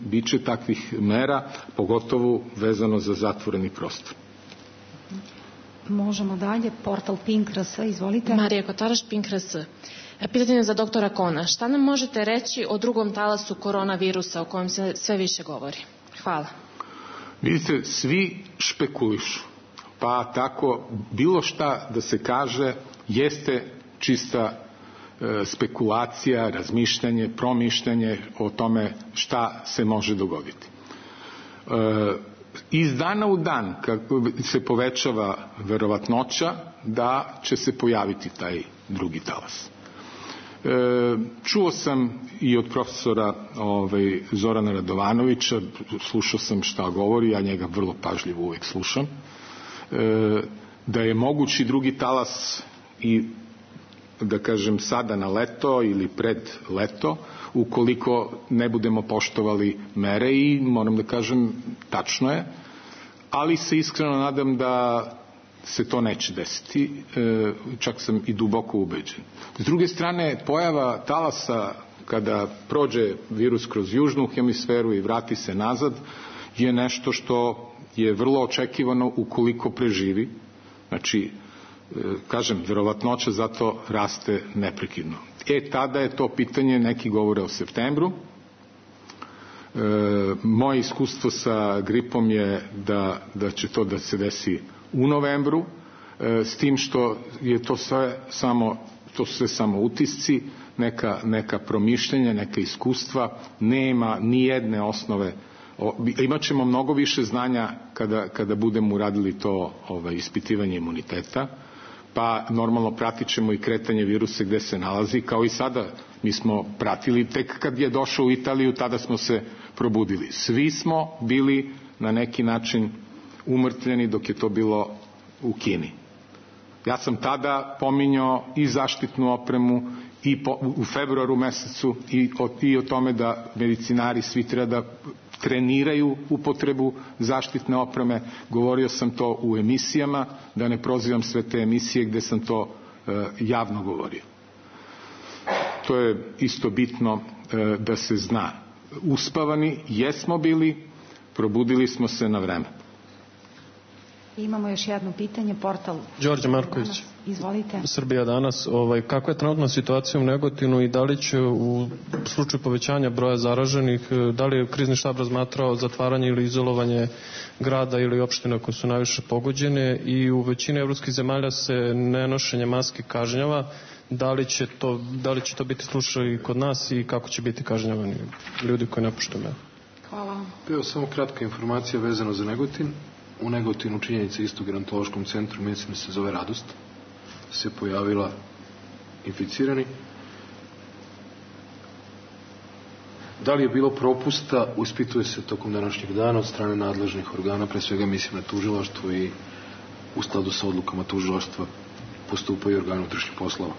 bit će takvih mera, pogotovo vezano za zatvoreni prostor. Možemo dalje, portal Pink.rs, izvolite. Marija Kotaraš, Pink.rs. Pitanje za doktora Kona. Šta nam možete reći o drugom talasu koronavirusa o kojem se sve više govori? Hvala. Vidite, svi špekulišu, pa tako bilo šta da se kaže jeste čista spekulacija, razmišljanje, promišljanje o tome šta se može dogoditi. Iz dana u dan kako se povećava verovatnoća da će se pojaviti taj drugi talas. Čuo sam i od profesora Zorana Radovanovića, slušao sam šta govori, ja njega vrlo pažljivo uvijek slušam, da je mogući drugi talas i da kažem sada na leto ili pred leto, ukoliko ne budemo poštovali mere, i moram da kažem tačno je, ali se iskreno nadam da se to neće desiti, čak sam i duboko ubeđen. S druge strane, pojava talasa kada prođe virus kroz južnu hemisferu i vrati se nazad je nešto što je vrlo očekivano ukoliko preživi. Znači, kažem, verovatnoća zato raste neprekidno. Tada je to pitanje, neki govore o septembru. Moje iskustvo sa gripom je da će to da se desi u novembru, s tim što je to sve samo utisci, neka promišljenja, neka iskustva, nema ni jedne osnove. Imat ćemo mnogo više znanja kada budemo uradili to ispitivanje imuniteta, pa normalno pratit ćemo i kretanje virusa gde se nalazi, kao i sada mi smo pratili, tek kad je došao u Italiju, tada smo se probudili. Svi smo bili na neki način umrtvljeni dok je to bilo u Kini. Ja sam tada pominjao i zaštitnu opremu i u februaru mesecu i o tome da medicinari svi treba da treniraju upotrebu zaštitne opreme. Govorio sam to u emisijama, da ne prozivam sve te emisije gde sam to javno govorio. To je isto bitno da se zna. Uspavani jesmo bili, probudili smo se na vreme. Imamo još jedno pitanje, portal Đorđe Marković. Izvolite. Srbija danas. Kakva je trenutna situacija u Negotinu i da li će u slučaju povećanja broja zaraženih, da li je krizni štab razmatrao zatvaranje ili izolovanje grada ili opština koje su najviše pogođene, i u većini evropskih zemalja se nenošenje maske kažnjava. Da li će to biti slučaj i kod nas i kako će biti kažnjavani ljudi koji ne poštuju mere? Hvala. Evo samo kratka informacija vezano za Negotin. U Negotinu činjenica isto gerontološkom centru, mislim da se zove Radost, se pojavila inficirani. Da li je bilo propusta, ispituje se tokom današnjeg dana od strane nadležnih organa, pre svega mislim na tužilaštvo, i u skladu sa odlukama tužilaštva postupaju organe unutrašnjih poslova.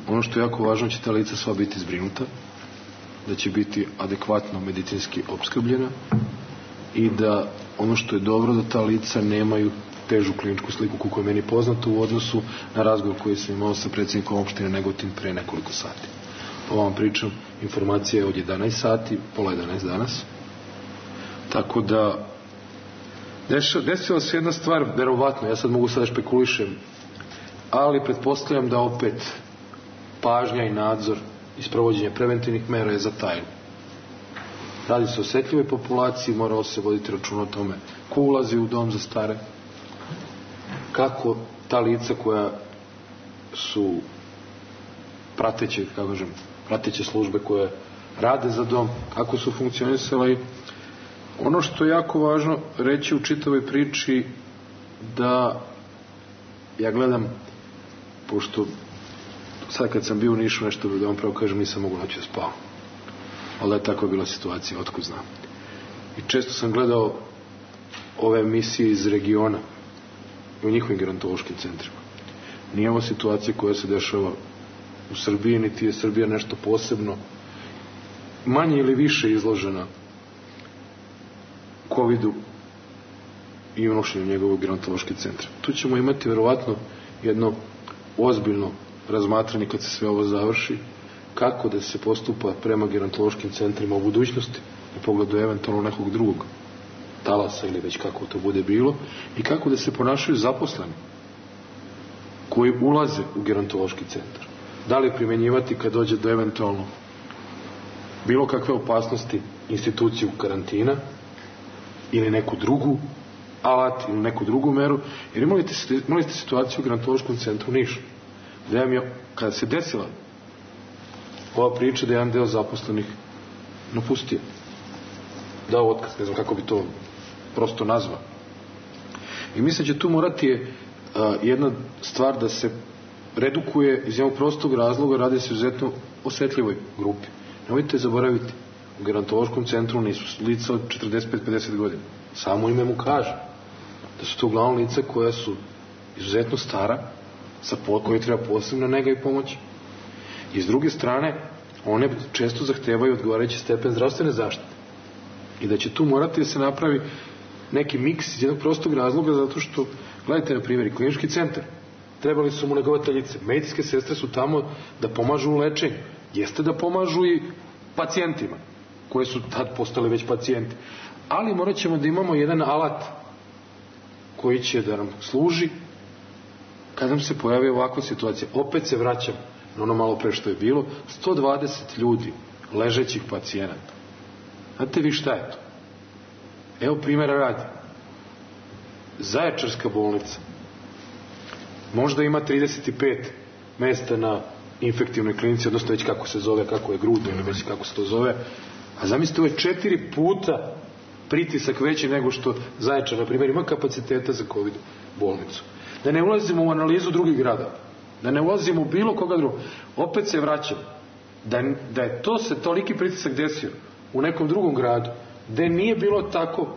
Ono što je jako važno, će ta lica sva biti zbrinuta, da će biti adekvatno medicinski opskrbljena i da ono što je dobro, da ta lica nemaju težu kliničku sliku koliko je meni poznato u odnosu na razgovor koji sam imao sa predsjednikom opštine Negotin pre nekoliko sati. Ovo vam pričam, informacija je od 11 sati, pola 11 danas. Tako da desila se jedna stvar, verovatno, ja sad mogu sada špekulišem, ali pretpostavljam da opet pažnja i nadzor i sprovođenje preventivnih mera je zatajeno. Radi se o osetljivoj populaciji, moralo se voditi računa o tome ko ulazi u dom za stare, kako ta lica koja su prateće službe koje rade za dom, kako su funkcionisali. Ono što je jako važno reći u čitavoj priči, da ja gledam, pošto sad kad sam bio u Nišu, nešto da vam pravo kažem, nisam mogu noći da spavam. Ali da je tako bila situacija, otkud znam. I često sam gledao ove emisije iz regiona u njihovim gerontološkim centrima. Nije ovo situacija koja se dešava u Srbiji, niti je Srbija nešto posebno manje ili više izložena COVID-u i unošenju njegovog gerontoloških centra. Tu ćemo imati verovatno jedno ozbiljno razmatranje kad se sve ovo završi, kako da se postupa prema gerontološkim centrima u budućnosti u pogledu eventualno nekog drugog talasa ili već kako to bude bilo, i kako da se ponašaju zaposleni koji ulaze u gerontološki centar. Da li primjenjivati kad dođe do eventualno bilo kakve opasnosti instituciju karantina ili neku drugu alat ili neku drugu meru, jer imali ste situaciju u gerontološkom centru Niš, gde vam je, kada se desila ova priča, da je jedan deo zaposlenih napustio, dao otkaz, ne znam kako bi to prosto nazvao. I mislim da će tu morati jedna stvar da se redukuje iz jednog prostog razloga, radi se izuzetno osetljivoj grupi. Nemojte zaboraviti, u gerontološkom centru nisu lica od 45-50 godina. Samo ime mu kaže da su to uglavnom lica koja su izuzetno stara, koji treba posebna nega i pomoć. I s druge strane, one često zahtevaju odgovarajući stepen zdravstvene zaštite. I da će tu morati da se napravi neki miks iz jednog prostog razloga, zato što, gledajte na primjer, klinički centar, trebali su mu negovateljice, medicinske sestre su tamo da pomažu u lečenju, jeste da pomažu i pacijentima, koji su tad postali već pacijenti. Ali morat ćemo da imamo jedan alat koji će da nam služi kad nam se pojavi ovakva situacija. Opet se vraćam na ono malo pre što je bilo, 120 ljudi, ležećih pacijenata. Znate vi šta je to? Evo primjera radi. Zaječarska bolnica možda ima 35 mesta na infektivnoj klinici, odnosno već kako se zove, kako je gruda ili već kako se to zove, a zamislite, ovo je 4 puta pritisak veći nego što Zaječar, na primjer, ima kapaciteta za COVID bolnicu. Da ne ulazimo u analizu drugih grada, da ne ulazimo u bilo koga drugog. Opet se vraćam, da je to se toliki pritisak desio u nekom drugom gradu, gde nije bilo tako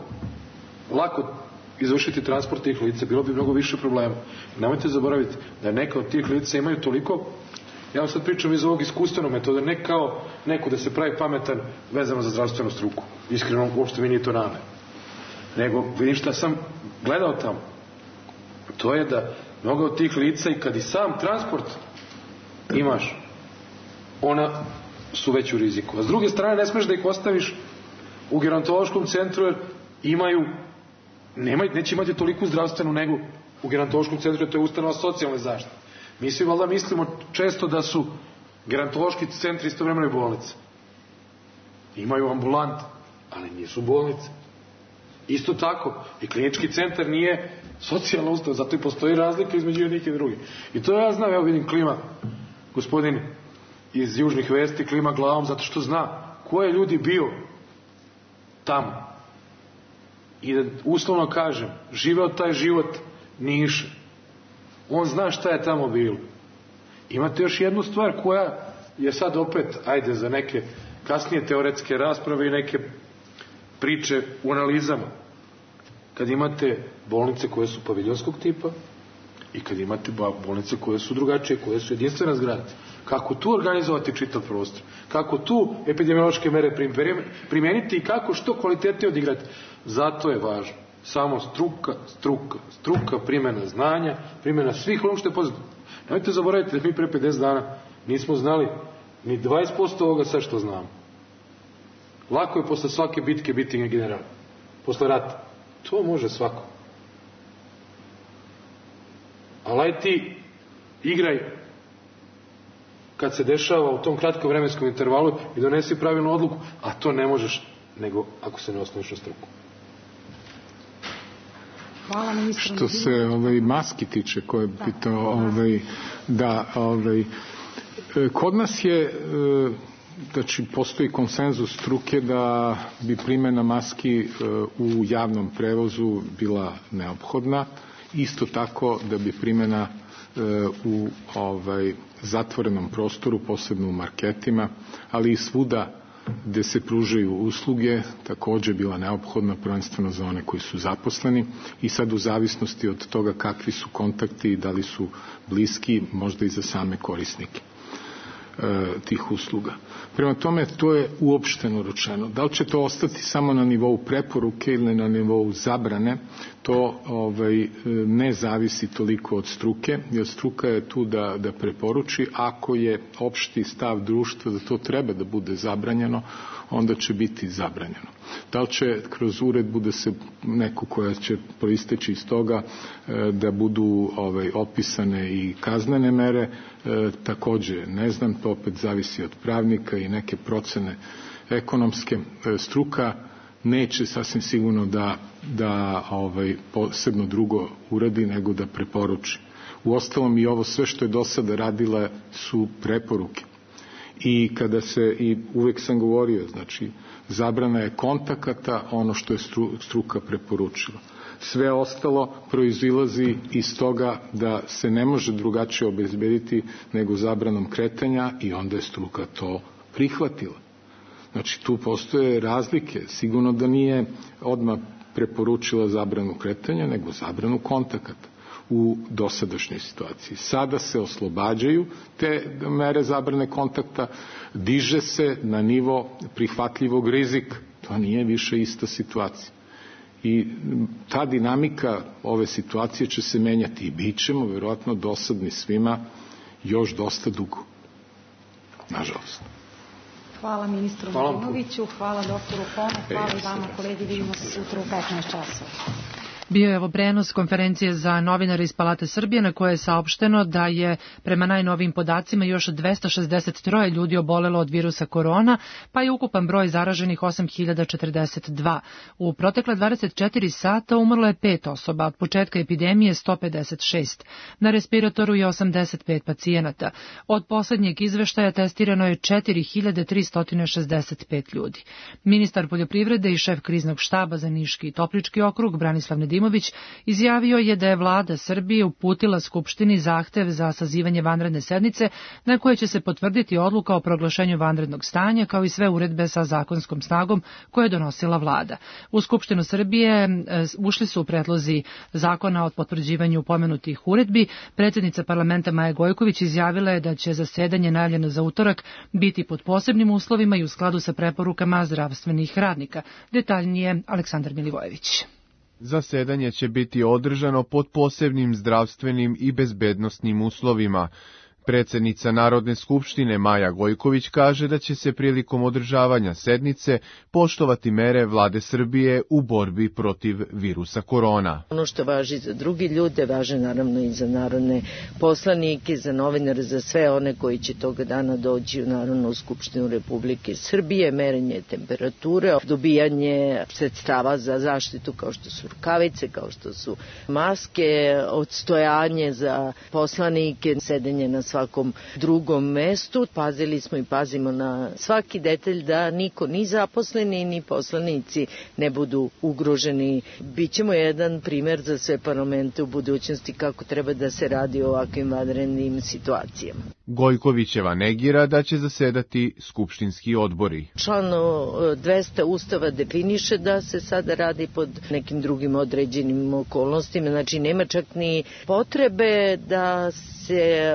lako izvršiti transport tih lica, bilo bi mnogo više problema. Nemojte zaboraviti da neka od tih lica imaju toliko, ja vam sad pričam iz ovog iskustvenog metoda, ne kao neko da se pravi pametan vezano za zdravstvenu struku. Iskreno, uopšte mi nije to namer. Nego, vidim šta sam gledao tamo. To je da mnogo od tih lica, i kad i sam transport imaš, ona su već u riziku. A s druge strane, ne smeš da ih ostaviš u gerontološkom centru, jer neće imati toliku zdravstvenu negu u gerontološkom centru, jer to je ustanova socijalne zaštite. Mi svi valjda mislimo često da su gerontološki centri istovremeno i bolnice. Imaju ambulante, ali nisu bolnice. Isto tako, i klinički centar nije socijalna ustanova, zato i postoji razlika između jednih i drugih. I to ja znam, evo vidim klima, gospodin iz Južnih vesti klima glavom, zato što zna ko je ljudi bio tamo. I da uslovno kažem, živeo taj život Niša. On zna šta je tamo bilo. Imate još jednu stvar koja je sad opet, ajde, za neke kasnije teoretske rasprave i neke priče u analizama. Kad imate bolnice koje su paviljonskog tipa i kad imate bolnice koje su drugačije, koje su jedinstvena zgrada. Kako tu organizovati čitav prostor? Kako tu epidemiološke mere primeniti i kako što kvalitetnije odigrati? Zato je važno samo struka, primjena znanja, primjena svih onog što je poznato. Nemojte zaboraviti da mi pre 50 dana nismo znali ni 20% ovoga sad što znamo. Lako je posle svake bitke biti general. Posle rata. To može svako. Ali aj ti igraj kad se dešava u tom kratkom vremenskom intervalu i donesi pravilnu odluku, a to ne možeš nego ako se ne osnoviš na struku. Hvala ministru. Što se maski tiče koje je pitao, kod nas je, znači postoji konsenzus struke da bi primjena maski u javnom prevozu bila neophodna, isto tako da bi primjena u zatvorenom prostoru, posebno u marketima, ali i svuda gde se pružaju usluge, takođe bila neophodna, prvenstveno za one koji su zaposleni, i sad u zavisnosti od toga kakvi su kontakti i da li su bliski, možda i za same korisnike. tih usluga. Prema tome, to je uopšteno rečeno. Da li će to ostati samo na nivou preporuke ili na nivou zabrane, to ne zavisi toliko od struke, jer struka je tu da preporuči. Ako je opšti stav društva da to treba da bude zabranjeno, onda će biti zabranjeno. Da li će kroz uredbu da se neku koja će proisteći iz toga da budu opisane i kaznene mere, takođe ne znam, to opet zavisi od pravnika i neke procene ekonomske. Struka neće sasvim sigurno da posebno drugo uradi nego da preporuči. Uostalom i ovo sve što je do sada radila su preporuke. I kada i uvek sam govorio, znači zabrana je kontakata, ono što je struka preporučila. Sve ostalo proizilazi iz toga da se ne može drugačije obezbediti nego zabranom kretanja i onda je struka to prihvatila. Znači tu postoje razlike. Sigurno da nije odmah preporučila zabranu kretanja, nego zabranu kontakata u dosadašnjoj situaciji. Sada se oslobađaju te mere zabrane kontakta, diže se na nivo prihvatljivog rizika. To nije više ista situacija. I ta dinamika ove situacije će se menjati i bit ćemo verovatno dosadni svima još dosta dugo. Nažalost. Hvala ministru Nedimoviću, hvala doktoru Kone, hvala i vama kolegi, vidimo se sutra u 15 časova. Bio je ovo prenos konferencije za novinare iz Palate Srbije na koje je saopšteno da je prema najnovijim podacima još 263 ljudi obolelo od virusa korona, pa je ukupan broj zaraženih 8042. U protekle 24 sata umrlo je 5 osoba, od početka epidemije 156. Na respiratoru je 85 pacijenata. Od poslednjeg izveštaja testirano je 4365 ljudi. Ministar poljoprivrede i šef kriznog štaba za Niški i Toplički okrug Branislav Nedimović izjavio je da je vlada Srbije uputila Skupštini zahtev za sazivanje vanredne sednice na kojoj će se potvrditi odluka o proglašenju vanrednog stanja kao i sve uredbe sa zakonskom snagom koje je donosila vlada. U Skupštinu Srbije ušli su predlozi zakona o potvrđivanju pomenutih uredbi. Predsjednica parlamenta Maja Gojković izjavila je da će zasedanje najavljeno za utorak biti pod posebnim uslovima i u skladu sa preporukama zdravstvenih radnika. Detaljnije Aleksandar Milivojević. Zasedanje će biti održano pod posebnim zdravstvenim i bezbednosnim uslovima. Predsjednica Narodne skupštine Maja Gojković kaže da će se prilikom održavanja sednice poštovati mere vlade Srbije u borbi protiv virusa korona. Ono što važi za drugi ljude, važi naravno i za narodne poslanike, za novinare, za sve one koji će toga dana doći u Narodnu skupštinu Republike Srbije, merenje temperature, dobijanje sredstava za zaštitu kao što su rukavice, kao što su maske, odstojanje za poslanike, sedenje na svakom drugom mestu. Pazili smo i pazimo na svaki detalj da niko, ni zaposleni, ni poslanici ne budu ugroženi. Bićemo jedan primer za sve parlamente u budućnosti kako treba da se radi o ovakvim vanrednim situacijama. Gojkovićeva negira da će zasedati skupštinski odbori. Član 200 Ustava definiše da se sada radi pod nekim drugim određenim okolnostima, znači nema čak ni potrebe da se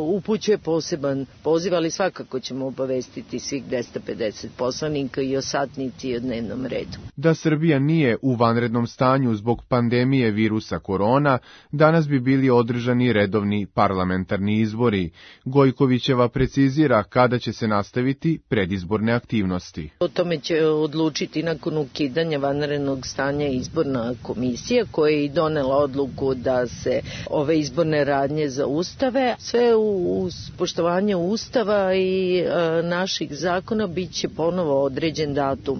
upućuje poseban poziv, ali svakako ćemo obavestiti svih 250 poslanika i o satnici i o dnevnom redu. Da Srbija nije u vanrednom stanju zbog pandemije virusa korona, danas bi bili održani redovni parlamentarni izbori. Gojkovićeva precizira kada će se nastaviti predizborne aktivnosti. O tome će odlučiti nakon ukidanja vanrednog stanja izborna komisija koja je i donela odluku da se ove izborne radnje zaustave. Sve uz poštovanje Ustava i naših zakona bit će ponovo određen datum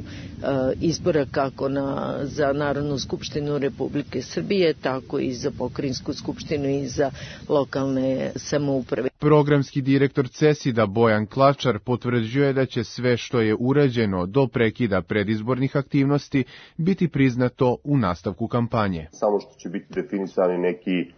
izbora kako za Narodnu skupštinu Republike Srbije, tako i za pokrajinsku skupštinu i za lokalne samouprave. Programski direktor CESID-a Bojan Klačar potvrđuje da će sve što je urađeno do prekida predizbornih aktivnosti biti priznato u nastavku kampanje. Samo što će biti definisani neki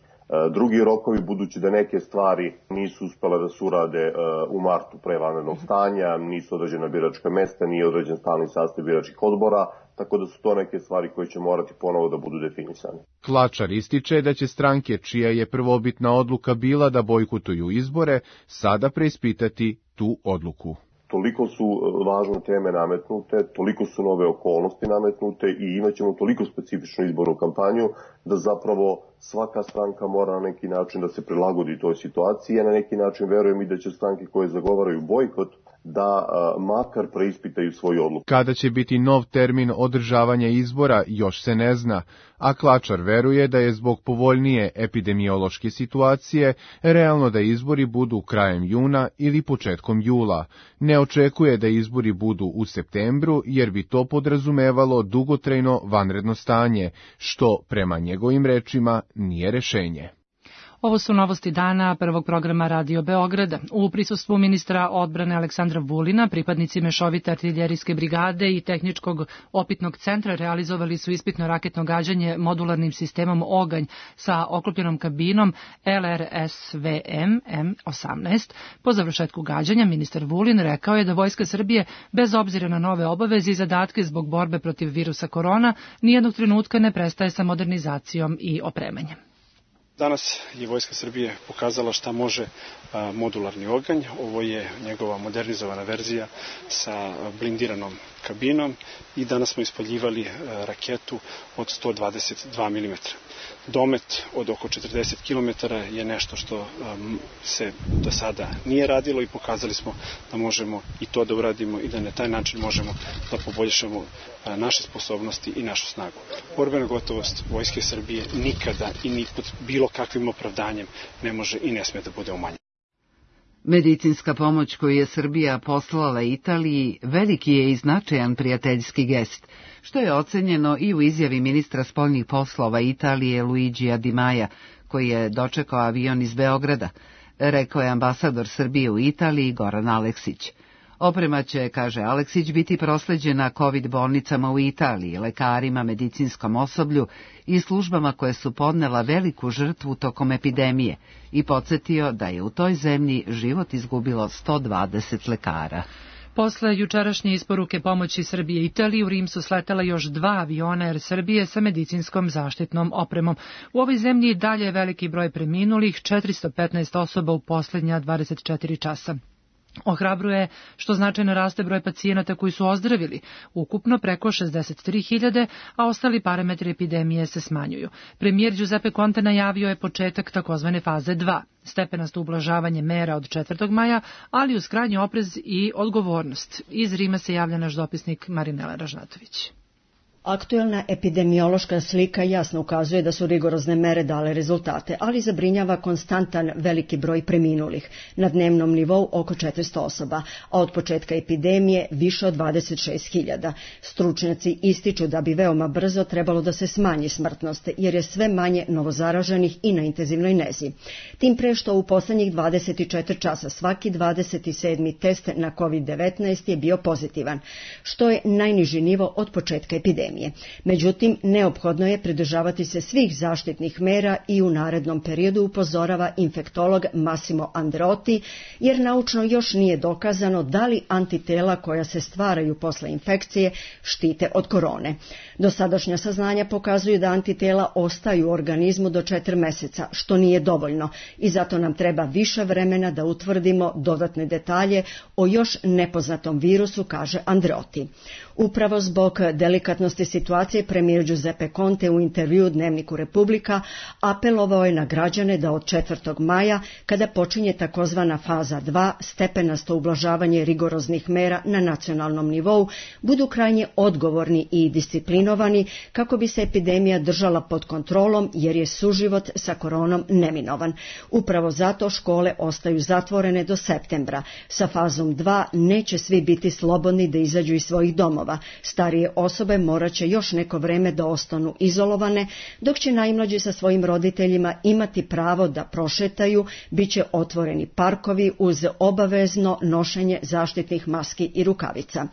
drugi rokovi, budući da neke stvari nisu uspjele da se urade u martu pre vanrednog stanja, nisu određena biračka mesta, nije određen stalni sastav biračkih odbora, tako da su to neke stvari koje će morati ponovo da budu definisane. Klačar ističe da će stranke čija je prvobitna odluka bila da bojkotuju izbore, sada preispitati tu odluku. Toliko su važne teme nametnute, toliko su nove okolnosti nametnute i imaćemo toliko specifičnu izbornu kampanju da zapravo svaka stranka mora na neki način da se prilagodi toj situaciji. Ja na neki način verujem i da će stranke koje zagovaraju bojkot da makar preispitaju svoju odluku. Kada će biti nov termin održavanja izbora još se ne zna, a Klačar veruje da je zbog povoljnije epidemiološke situacije realno da izbori budu krajem juna ili početkom jula. Ne očekuje da izbori budu u septembru jer bi to podrazumevalo dugotrajno vanredno stanje, što prema njegovim rečima nije rešenje. Ovo su novosti dana prvog programa Radio Beograda. U prisustvu ministra odbrane Aleksandra Vulina, pripadnici mešovite artiljerijske brigade i tehničkog opitnog centra realizovali su ispitno raketno gađanje modularnim sistemom Oganj sa oklopljenom kabinom LRSVM M18. Po završetku gađanja ministar Vulin rekao je da Vojska Srbije, bez obzira na nove obaveze i zadatke zbog borbe protiv virusa korona, nijednog trenutka ne prestaje sa modernizacijom i opremanjem. Danas je Vojska Srbije pokazala šta može modularni oganj. Ovo je njegova modernizovana verzija sa blindiranom kabinom i danas smo ispaljivali raketu od 122 mm. Domet od oko 40 km je nešto što se do sada nije radilo i pokazali smo da možemo i to da uradimo i da na taj način možemo da poboljšamo naše sposobnosti i našu snagu. Borbena gotovost Vojske Srbije nikada i ni pod bilo kakvim opravdanjem ne može i ne sme da bude umanjena. Medicinska pomoć koju je Srbija poslala Italiji veliki je i značajan prijateljski gest, što je ocenjeno i u izjavi ministra spoljnih poslova Italije Luigija Di Maja, koji je dočekao avion iz Beograda, rekao je ambasador Srbije u Italiji Goran Aleksić. Oprema će, kaže Aleksić, biti prosleđena COVID bolnicama u Italiji, lekarima, medicinskom osoblju i službama koje su podnela veliku žrtvu tokom epidemije i podsjetio da je u toj zemlji život izgubilo 120 lekara. Posle jučerašnje isporuke pomoći Srbije i Italiji, u Rim su sletela još 2 aviona Air Srbije sa medicinskom zaštitnom opremom. U ovoj zemlji dalje je veliki broj preminulih, 415 osoba u posljednja 24 časa. Ohrabruje što značajno raste broj pacijenata koji su ozdravili, ukupno preko 63.000, a ostali parametri epidemije se smanjuju. Premijer Giuseppe Conte najavio je početak takozvane faze 2, stepenasto ublažavanje mera od 4. maja, ali uz krajnji oprez i odgovornost. Iz Rima se javlja naš dopisnik Marinela Ražnatović. Aktuelna epidemiološka slika jasno ukazuje da su rigorozne mere dale rezultate, ali zabrinjava konstantan veliki broj preminulih, na dnevnom nivou oko 400 osoba, a od početka epidemije više od 26.000. Stručnjaci ističu da bi veoma brzo trebalo da se smanji smrtnost, jer je sve manje novozaraženih i na intenzivnoj nezi. Tim pre što u poslednjih 24 časa svaki 27. test na COVID-19 je bio pozitivan, što je najniži nivo od početka epidemije. Međutim, neophodno je pridržavati se svih zaštitnih mera i u narednom periodu upozorava infektolog Massimo Andreotti, jer naučno još nije dokazano da li antitela koja se stvaraju posle infekcije štite od korone. Dosadašnja saznanja pokazuju da antitela ostaju u organizmu do 4 meseca, što nije dovoljno i zato nam treba više vremena da utvrdimo dodatne detalje o još nepoznatom virusu, kaže Andreotti. Upravo zbog delikatnosti situacije premijer Giuseppe Conte u intervju Dnevniku Republika apelovao je na građane da od 4. maja, kada počinje takozvana faza 2, stepenasto ublažavanje rigoroznih mera na nacionalnom nivou, budu krajnje odgovorni i disciplinovani kako bi se epidemija držala pod kontrolom, jer je suživot sa koronom neminovan. Upravo zato škole ostaju zatvorene do septembra. Sa fazom 2 neće svi biti slobodni da izađu iz svojih domova. Starije osobe morat će još neko vreme da ostanu izolovane, dok će najmlađi sa svojim roditeljima imati pravo da prošetaju, bit će otvoreni parkovi uz obavezno nošenje zaštitnih maski i rukavica.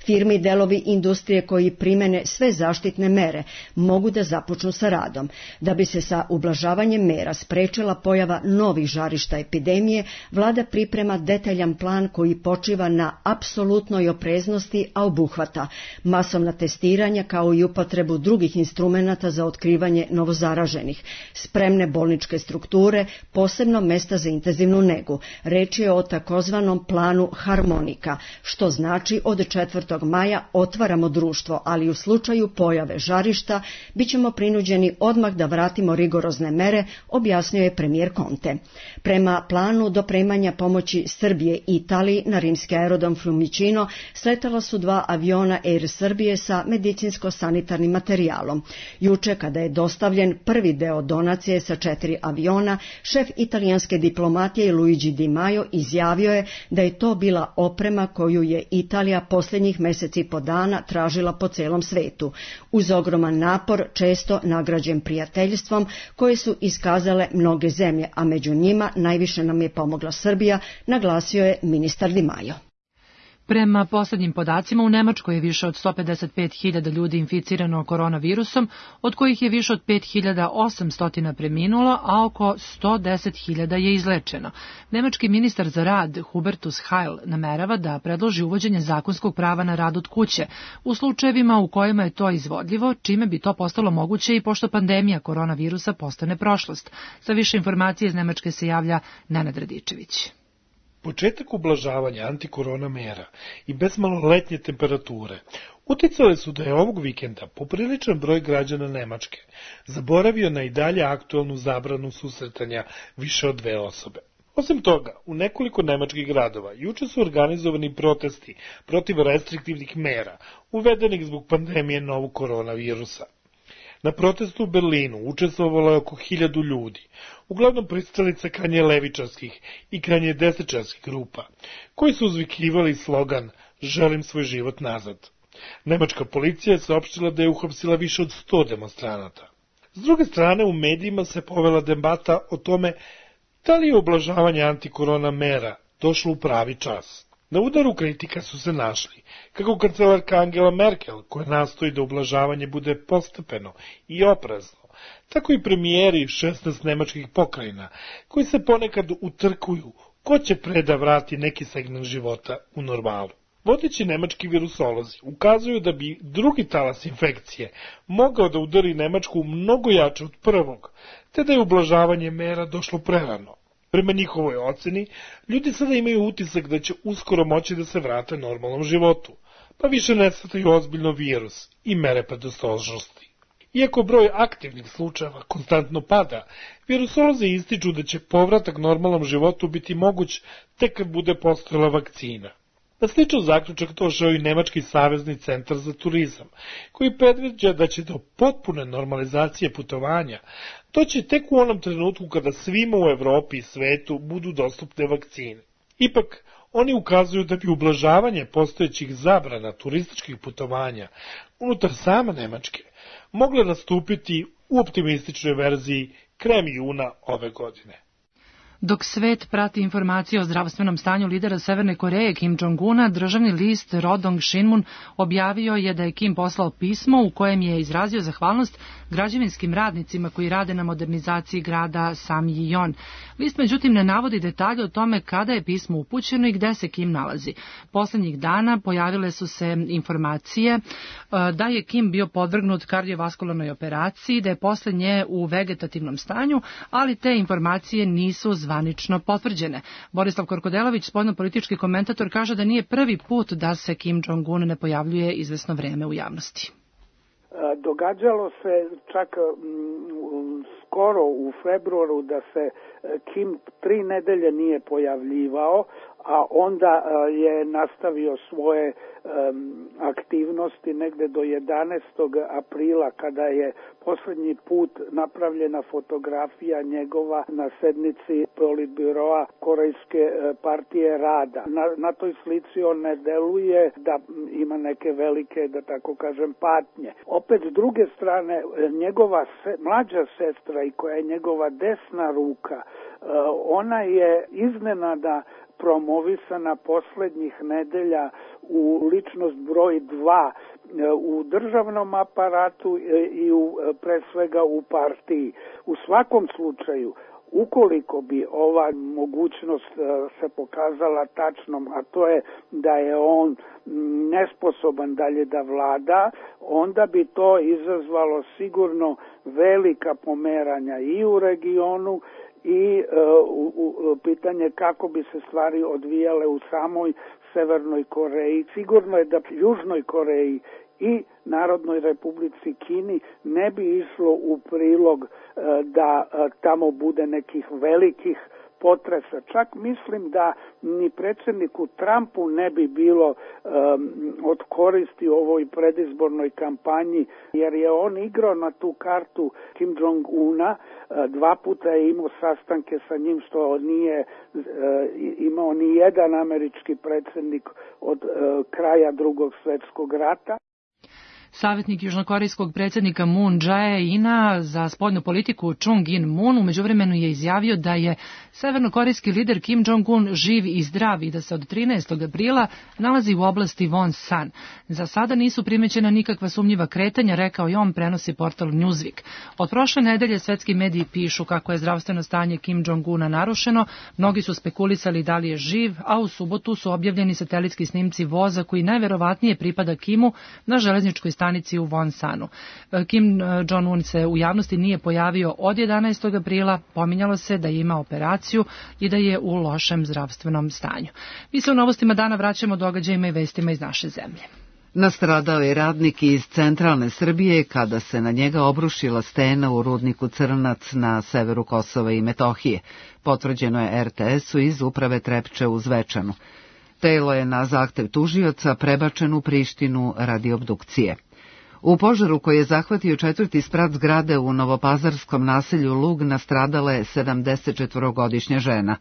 Firme i delovi industrije koji primene sve zaštitne mere mogu da započnu sa radom. Da bi se sa ublažavanjem mera sprečila pojava novih žarišta epidemije, vlada priprema detaljan plan koji počiva na apsolutnoj opreznosti, a obuhvata mera, masovna testiranja kao i upotrebu drugih instrumenata za otkrivanje novozaraženih, spremne bolničke strukture, posebno mesta za intenzivnu negu. Reč je o takozvanom planu harmonika, što znači od 4. maja otvaramo društvo, ali u slučaju pojave žarišta bićemo prinuđeni odmah da vratimo rigorozne mere, objasnio je premijer Conte. Prema planu dopremanja pomoći Srbije i Italiji na rimski aerodrom Fiumicino sletala su 2 aviona Air Srbije sa medicinsko-sanitarnim materijalom. Juče, kada je dostavljen prvi deo donacije sa 4 aviona, šef italijanske diplomatije Luigi Di Maio izjavio je da je to bila oprema koju je Italija posljednjih meseci i po dana tražila po celom svetu, uz ogroman napor, često nagrađen prijateljstvom koje su iskazale mnoge zemlje, a među njima najviše nam je pomogla Srbija, naglasio je ministar Di Maio. Prema posljednjim podacima, u Nemačkoj je više od 155.000 ljudi inficirano koronavirusom, od kojih je više od 5.800 preminulo, a oko 110.000 je izlečeno. Nemački ministar za rad Hubertus Heil namerava da predloži uvođenje zakonskog prava na rad od kuće u slučajevima u kojima je to izvodljivo, čime bi to postalo moguće i pošto pandemija koronavirusa postane prošlost. Sa više informacije iz Nemačke se javlja Nenad Radičević. Početak ublažavanja antikorona mera i bezmalo letnje temperature uticale su da je ovog vikenda popriličan broj građana Nemačke zaboravio na i dalje aktualnu zabranu susretanja više od 2 osobe. Osim toga, u nekoliko nemačkih gradova juče su organizovani protesti protiv restriktivnih mera uvedenih zbog pandemije novog koronavirusa. Na protestu u Berlinu učestvovalo je oko 1000 ljudi, uglavnom pristalice krajnje levičarskih i krajnje desničarskih grupa, koji su uzvikivali slogan "Želim svoj život nazad". Nemačka policija je saopštila da je uhapsila više od 100 demonstranata. S druge strane, u medijima se povela debata o tome da li je ublažavanje antikorona mera došlo u pravi čas. Na udaru kritika su se našli kako kancelarka Angela Merkel, koja nastoji da ublažavanje bude postepeno i oprezno, tako i premijeri 16 nemačkih pokrajina, koji se ponekad utrkuju ko će pre da vrati neki segment života u normalu. Vodeći nemački virusolozi ukazuju da bi drugi talas infekcije mogao da udari Nemačku mnogo jače od prvog, te da je ublažavanje mera došlo prerano. Prema njihovoj oceni, ljudi sada imaju utisak da će uskoro moći da se vrate normalnom životu, pa više ne shvataju ozbiljno virus i mere predostrožnosti. Iako broj aktivnih slučajeva konstantno pada, virusolozi ističu da će povratak normalnom životu biti moguć tek kad bude postojala vakcina. Na sličan zaključak došao i Nemački savezni centar za turizam, koji predviđa da će do potpune normalizacije putovanja doći tek u onom trenutku kada svima u Evropi i svetu budu dostupne vakcine. Ipak, oni ukazuju da bi ublažavanje postojećih zabrana turističkih putovanja unutar same Nemačke mogle nastupiti u optimističnoj verziji krajem juna ove godine. Dok svet prati informacije o zdravstvenom stanju lidera Severne Koreje Kim Jong-una, državni list Rodong Shinmun objavio je da je Kim poslao pismo u kojem je izrazio zahvalnost građevinskim radnicima koji rade na modernizaciji grada Samjion. List međutim ne navodi detalje o tome kada je pismo upućeno i gde se Kim nalazi. Poslednjih dana pojavile su se informacije da je Kim bio podvrgnut kardiovaskularnoj operaciji, da je posle nje u vegetativnom stanju, ali te informacije nisu zvanično potvrđene. Borislav Korkodelavić, spoljnopolitički komentator, kaže da nije prvi put da se Kim Jong-un ne pojavljuje izvesno vreme u javnosti. Događalo se čak skoro u februaru da se Kim 3 nedelje nije pojavljivao, a onda je nastavio svoje aktivnosti negde do 11. aprila kada je posljednji put napravljena fotografija njegova na sednici Politbiroa Korejske partije rada. Na toj slici on ne deluje da ima neke velike, da tako kažem, patnje. Opet s druge strane, njegova mlađa sestra i koja je njegova desna ruka, ona je iznenada promovisana poslednjih nedelja u ličnost broj 2 u državnom aparatu i pre svega u partiji. U svakom slučaju, Ukoliko bi ova mogućnost se pokazala tačnom, a to je da je on nesposoban dalje da vlada, onda bi to izazvalo sigurno velika pomeranja i u regionu i pitanje kako bi se stvari odvijale u samoj Severnoj Koreji. Sigurno je da Južnoj Koreji i Narodnoj Republici Kini ne bi išlo u prilog da tamo bude nekih velikih potresa. Čak mislim da ni predsjedniku Trumpu ne bi bilo od koristi u ovoj predizbornoj kampanji, jer je on igrao na tu kartu Kim Jong-una, 2 puta je imao sastanke sa njim, što nije imao ni jedan američki predsjednik od kraja Drugog svjetskog rata. Savjetnik južnokorejskog predsjednika Moon Jae-ina za spoljnu politiku Chung In-moon u međuvremenu je izjavio da je severnokorejski lider Kim Jong-un živ i zdrav i da se od 13. aprila nalazi u oblasti Wonsan. Za sada nisu primećena nikakva sumnjiva kretanja, rekao je on, prenosi portal Newsweek. Od prošle nedelje svetski mediji pišu kako je zdravstveno stanje Kim Jong-una narušeno, mnogi su spekulisali da li je živ, a u subotu su objavljeni satelitski snimci voza koji najverovatnije pripada Kimu na železničkoj stanici u Wonsanu. Kim Jong-un se u javnosti nije pojavio od 11. aprila, pominjalo se da je imao operaciju i da je u lošem zdravstvenom stanju. Mi se u novostima dana vraćamo događajima i vestima iz naše zemlje. Nastradao je radnik iz centralne Srbije kada se na njega obrušila stena u rudniku Crnac na severu Kosova i Metohije. Potvrđeno je RTS-u iz uprave Trepče u Zvečanu. Telo je na zahtev tužioca prebačen u Prištinu radi obdukcije. U požaru koji je zahvatio 4. sprat zgrade u novopazarskom naselju Lug nastradala je 74-godišnja žena.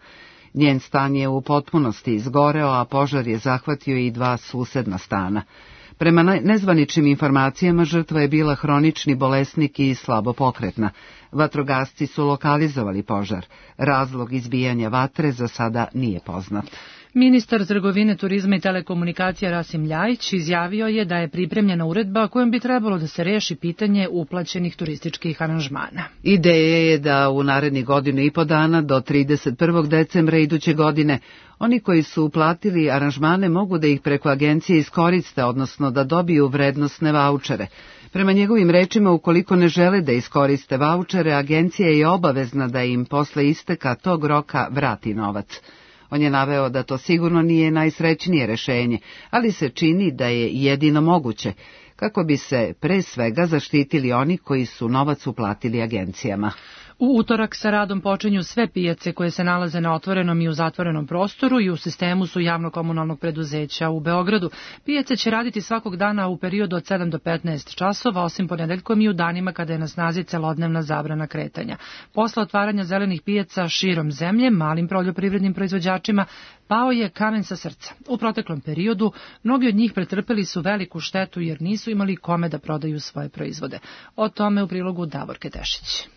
Njen stan je u potpunosti izgoreo, a požar je zahvatio i 2 susedna stana. Prema nezvaničnim informacijama žrtva je bila hronični bolesnik i slabo pokretna. Vatrogasci su lokalizovali požar. Razlog izbijanja vatre za sada nije poznat. Ministar trgovine, turizma i telekomunikacija Rasim Ljajić izjavio je da je pripremljena uredba kojom bi trebalo da se reši pitanje uplaćenih turističkih aranžmana. Ideja je da u narednih 1,5 dana do 31. decembra iduće godine oni koji su uplatili aranžmane mogu da ih preko agencije iskoriste, odnosno da dobiju vrednosne vaučere. Prema njegovim rečima, ukoliko ne žele da iskoriste vaučere, agencija je obavezna da im posle isteka tog roka vrati novac. On je naveo da to sigurno nije najsrećnije rešenje, ali se čini da je jedino moguće, kako bi se pre svega zaštitili oni koji su novac uplatili agencijama. U utorak sa radom počinju sve pijace koje se nalaze na otvorenom i u zatvorenom prostoru i u sistemu su javno-komunalnog preduzeća u Beogradu. Pijace će raditi svakog dana u periodu od 7 do 15 časova, osim ponedeljkom i u danima kada je na snazi celodnevna zabrana kretanja. Posle otvaranja zelenih pijaca širom zemlje, malim poljoprivrednim proizvođačima, pao je kamen sa srca. U proteklom periodu mnogi od njih pretrpeli su veliku štetu jer nisu imali kome da prodaju svoje proizvode. O tome u prilogu Davorke Tešić.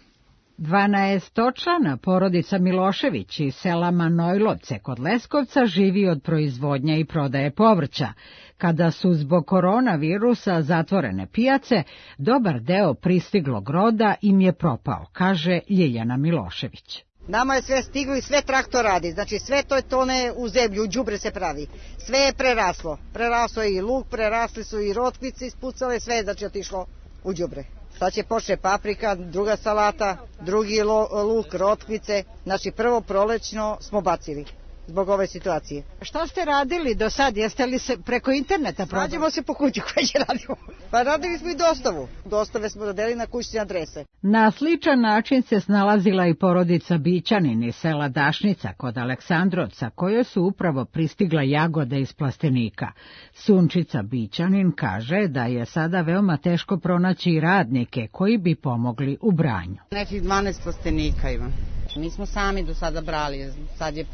12-člana porodica Milošević iz sela Manojlovce kod Leskovca živi od proizvodnja i prodaje povrća. Kada su zbog koronavirusa zatvorene pijace, dobar deo pristiglog roda im je propao, kaže Ljiljana Milošević. Nama je sve stiglo i sve traktor radi, znači sve to tone u zemlju, u đubre se pravi. Sve je preraslo. Preraslo je i luk, prerasli su i rotkvice ispucale, sve je znači otišlo u đubre. Sad će počne paprika, druga salata, drugi luk, rotkvice. Znači prvo prolećno smo bacili zbog ove situacije. Šta ste radili do sad? Jeste li se preko interneta prodali? Rađemo se po kući koje će radimo. Pa radili smo i dostavu. Dostave smo radili na kućne adrese. Na sličan način se snalazila i porodica Bićanin iz sela Dašnica kod Aleksandrovca, kojoj su upravo pristigla jagode iz plastenika. Sunčica Bićanin kaže da je sada veoma teško pronaći radnike koji bi pomogli u branju. Nekih 12 plastenika ima. Mi smo sami do sada brali, sad je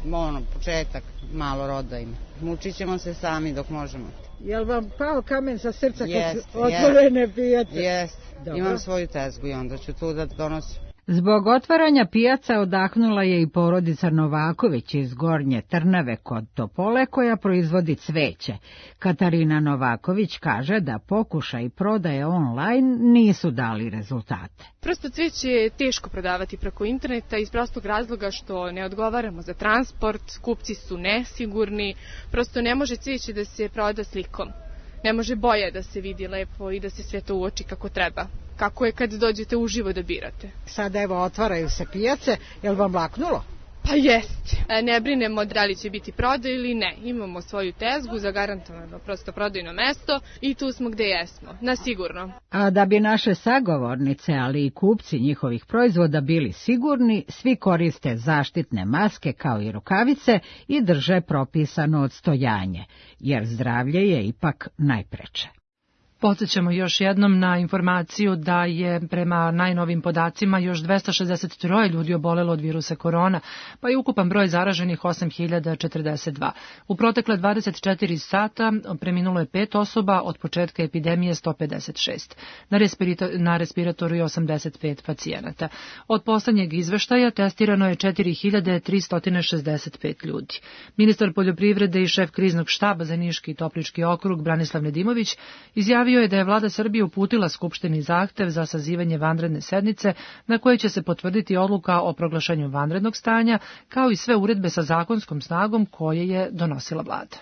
početak, malo roda ima. Mučit ćemo se sami dok možemo. Jel vam pao kamen sa srca kad su otvorene pijace? Jest, imam svoju tezgu i onda ću tu da donosim. Zbog otvaranja pijaca odahnula je i porodica Novaković iz Gornje Trnave kod Topole koja proizvodi cveće. Katarina Novaković kaže da pokušaj prodaje online nisu dali rezultate. Prosto cveće je teško prodavati preko interneta iz prostog razloga što ne odgovaramo za transport, kupci su nesigurni, prosto ne može cveće da se proda slikom. Ne može boja da se vidi lepo i da se sve to uoči kako treba. Kako je kad dođete uživo da birate. Sada evo otvaraju se pijace, je li vam laknulo? Pa jeste. Ne brinemo da li će biti prodaj ili ne. Imamo svoju tezgu, zagarantovano prosto prodajno mesto i tu smo gde jesmo, na sigurno. A da bi naše sagovornice, ali i kupci njihovih proizvoda bili sigurni, svi koriste zaštitne maske kao i rukavice i drže propisano odstojanje, jer zdravlje je ipak najpreče. Podsjećamo još jednom na informaciju da je prema najnovim podacima još 263 ljudi obolelo od virusa korona, pa je ukupan broj zaraženih 8042. U protekle 24 sata preminulo je 5 osoba, od početka epidemije 156. Na respiratoru je 85 pacijenata. Od poslednjeg izveštaja testirano je 4365 ljudi. Ministar poljoprivrede i šef kriznog štaba za Niški i Toplički okrug Branislav Nedimović izjavio je da je vlada Srbije uputila Skupštini zahtev za sazivanje vanredne sednice na kojoj će se potvrditi odluka o proglašenju vanrednog stanja, kao i sve uredbe sa zakonskom snagom koje je donosila vlada.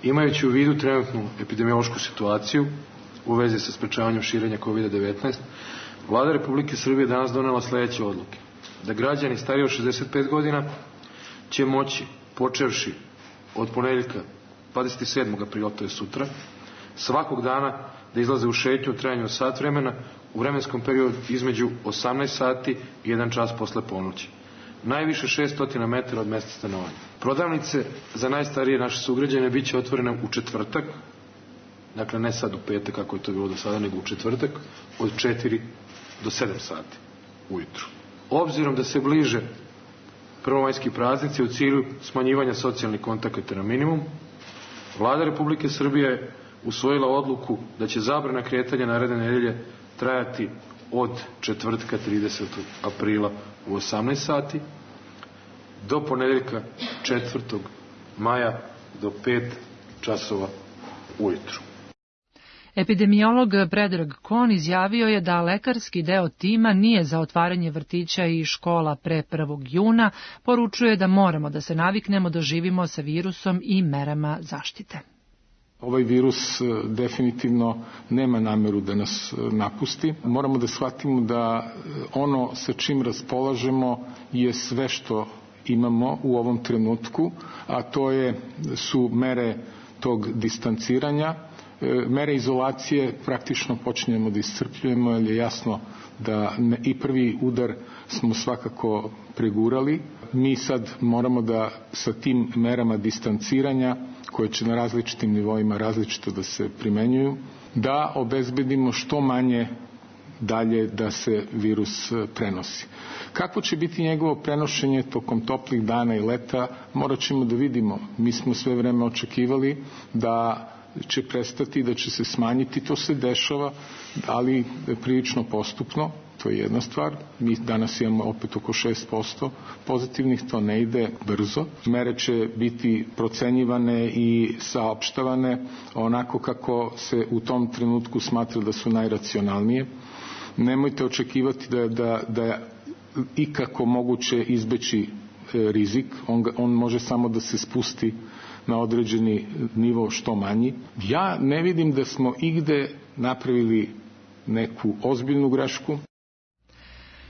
Imajući u vidu trenutnu epidemiološku situaciju u vezi sa sprečavanjem širenja COVID-19, Vlada Republike Srbije danas donela sledeće odluke. Da građani stariji od 65 godina će moći, počevši od ponedeljka 27. aprila, to je sutra, svakog dana da izlaze u šetnju u trajanju od sat vremena u vremenskom periodu između 18 sati i 1 čas posle ponoći. Najviše 600 metara od mesta stanovanja. Prodavnice za najstarije naše sugrađane bit će otvorene u četvrtak, dakle ne sad u petak kako je to bilo do sada, nego u četvrtak od 4 do 7 sati ujutru. Obzirom da se bliže prvomajski praznici u cilju smanjivanja socijalnih kontakata na minimum, Vlada Republike Srbije usvojila odluku da će zabrana kretanja naredne nedelje trajati od četvrtka 30. aprila u 18 sati do ponedeljka 4. maja do 5 časova ujutru. Epidemiolog Predrag Kon izjavio je da lekarski deo tima nije za otvaranje vrtića i škola pre 1. juna, poručuje da moramo da se naviknemo da živimo sa virusom i merama zaštite. Ovaj virus definitivno nema nameru da nas napusti. Moramo da shvatimo da ono sa čim raspolažemo je sve što imamo u ovom trenutku, a to su mere tog distanciranja. Mere izolacije praktično počinjemo da iscrpljujemo, jer je jasno da i prvi udar smo svakako pregurali. Mi sad moramo da sa tim merama distanciranja, koje će na različitim nivoima različito da se primenjuju, da obezbedimo što manje dalje da se virus prenosi. Kako će biti njegovo prenošenje tokom toplih dana i leta, morat ćemo da vidimo. Mi smo sve vreme očekivali da će prestati, da će se smanjiti, to se dešava, ali prilično postupno, to je jedna stvar. Mi danas imamo opet oko 6% pozitivnih, to ne ide brzo. Mere će biti procenjivane i saopštavane onako kako se u tom trenutku smatra da su najracionalnije. Nemojte očekivati da je ikako moguće izbeći rizik, on može samo da se spusti na određeni nivo što manji. Ja ne vidim da smo igde napravili neku ozbiljnu grešku.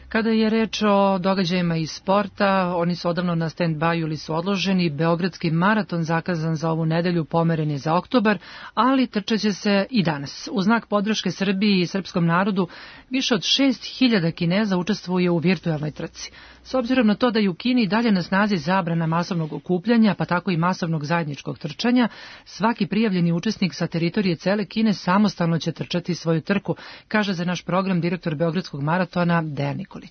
Kada je reč o događajima iz sporta, oni su odavno na stand-by ili su odloženi. Beogradski maraton zakazan za ovu nedelju pomeren je za oktobar, ali trčaće se i danas. U znak podrške Srbiji i srpskom narodu više od 6.000 Kineza učestvuje u virtualnoj trci. S obzirom na to da je u Kini dalje na snazi zabrana masovnog okupljanja, pa tako i masovnog zajedničkog trčanja, svaki prijavljeni učesnik sa teritorije cele Kine samostalno će trčati svoju trku, kaže za naš program direktor Beogradskog maratona Dejan Nikolić.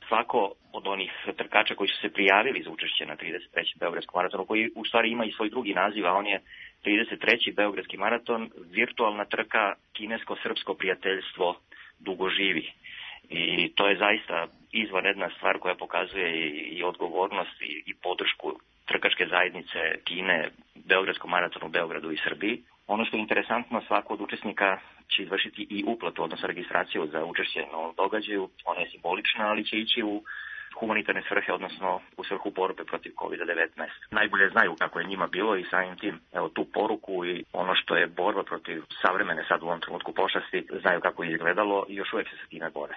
Svako od onih trkača koji su se prijavili za učešće na 33. Beogradskom maratonu, koji u stvari ima i svoj drugi naziv, a on je 33. Beogradski maraton, virtualna trka kinesko-srpsko prijateljstvo dugo živi. I to je zaista izvanredna stvar koja pokazuje i odgovornost i podršku trkačke zajednice Kine, Beogradskom maratonu, Beogradu i Srbiji. Ono što je interesantno, svako od učesnika će izvršiti i uplatu, odnosno registraciju za učešće na ovom događaju. Ona je simbolična, ali će ići u humanitarne svrhe, odnosno u svrhu borbe protiv COVID-19. Najbolje znaju kako je njima bilo i samim tim tu poruku i ono što je borba protiv savremene sad u ovom trenutku pošasti, znaju kako je izgledalo i još uvijek se sa time bore.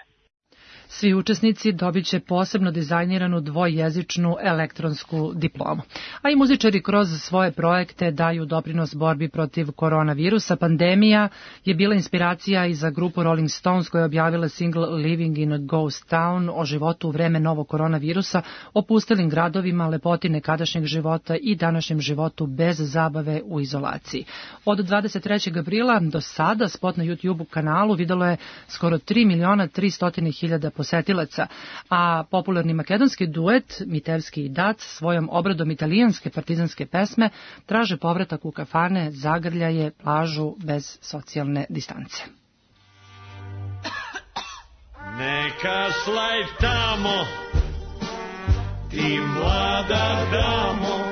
Svi učesnici dobit će posebno dizajniranu dvojezičnu elektronsku diplomu. A i muzičari kroz svoje projekte daju doprinos borbi protiv koronavirusa. Pandemija je bila inspiracija i za grupu Rolling Stones koja je objavila single Living in a Ghost Town o životu u vreme novog koronavirusa, o pustelim gradovima, lepoti nekadašnjeg života i današnjem životu bez zabave u izolaciji. Od 23. aprila do sada spot na YouTube kanalu videlo je skoro 3.300.000 posetilaca, a popularni makedonski duet Mitevski i Dac svojom obradom italijanske partizanske pesme traže povratak u kafane, zagrljaje, plažu bez socijalne distance. Neka slajd tamo, ti mlada damo,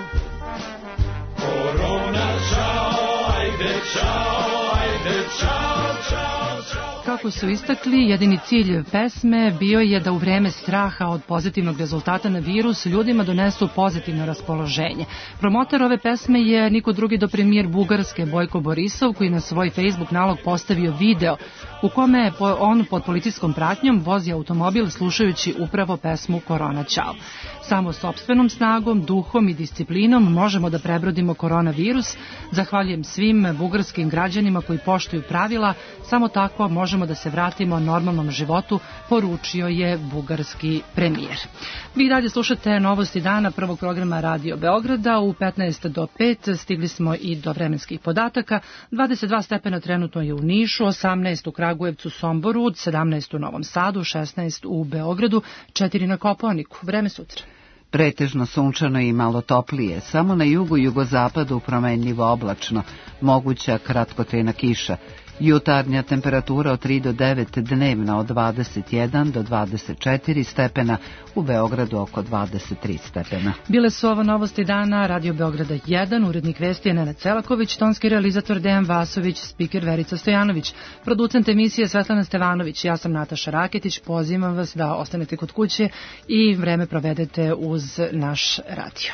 korona čao, ajde čao, ajde čao, čao, čao. Kako su istakli, jedini cilj pesme bio je da u vreme straha od pozitivnog rezultata na virus ljudima donesu pozitivno raspoloženje. Promotor ove pesme je niko drugi do premijer Bugarske Bojko Borisov, koji na svoj Facebook nalog postavio video u kome on pod policijskom pratnjom vozi automobil slušajući upravo pesmu Korona Ćao. Samo sopstvenom snagom, duhom i disciplinom možemo da prebrodimo koronavirus. Zahvaljujem svim bugarskim građanima koji poštuju pravila, samo tako možemo da se vratimo normalnom životu, poručio je bugarski premijer. Vi dalje slušate novosti dana prvog programa Radio Beograda. U 15 do 5 stigli smo i do vremenskih podataka. 22 stepena trenutno je u Nišu, 18 u Kragujevcu, Somboru, 17 u Novom Sadu, 16 u Beogradu, 4 na Kopaoniku. Vreme sutra. Pretežno sunčano i malo toplije, samo na jugu i jugozapadu promenljivo oblačno, moguća kratkotrajna kiša. Jutarnja temperatura od 3 do 9, dnevna od 21 do 24 stepena, u Beogradu oko 23 stepena. Bile su ovo novosti dana, Radio Beograda 1, urednik vesti je Nenad Celaković, tonski realizator Dejan Vasović, spiker Verica Stojanović, producent emisije Svetlana Stevanović, ja sam Nataša Raketić, pozivam vas da ostanete kod kuće i vreme provedete uz naš radio.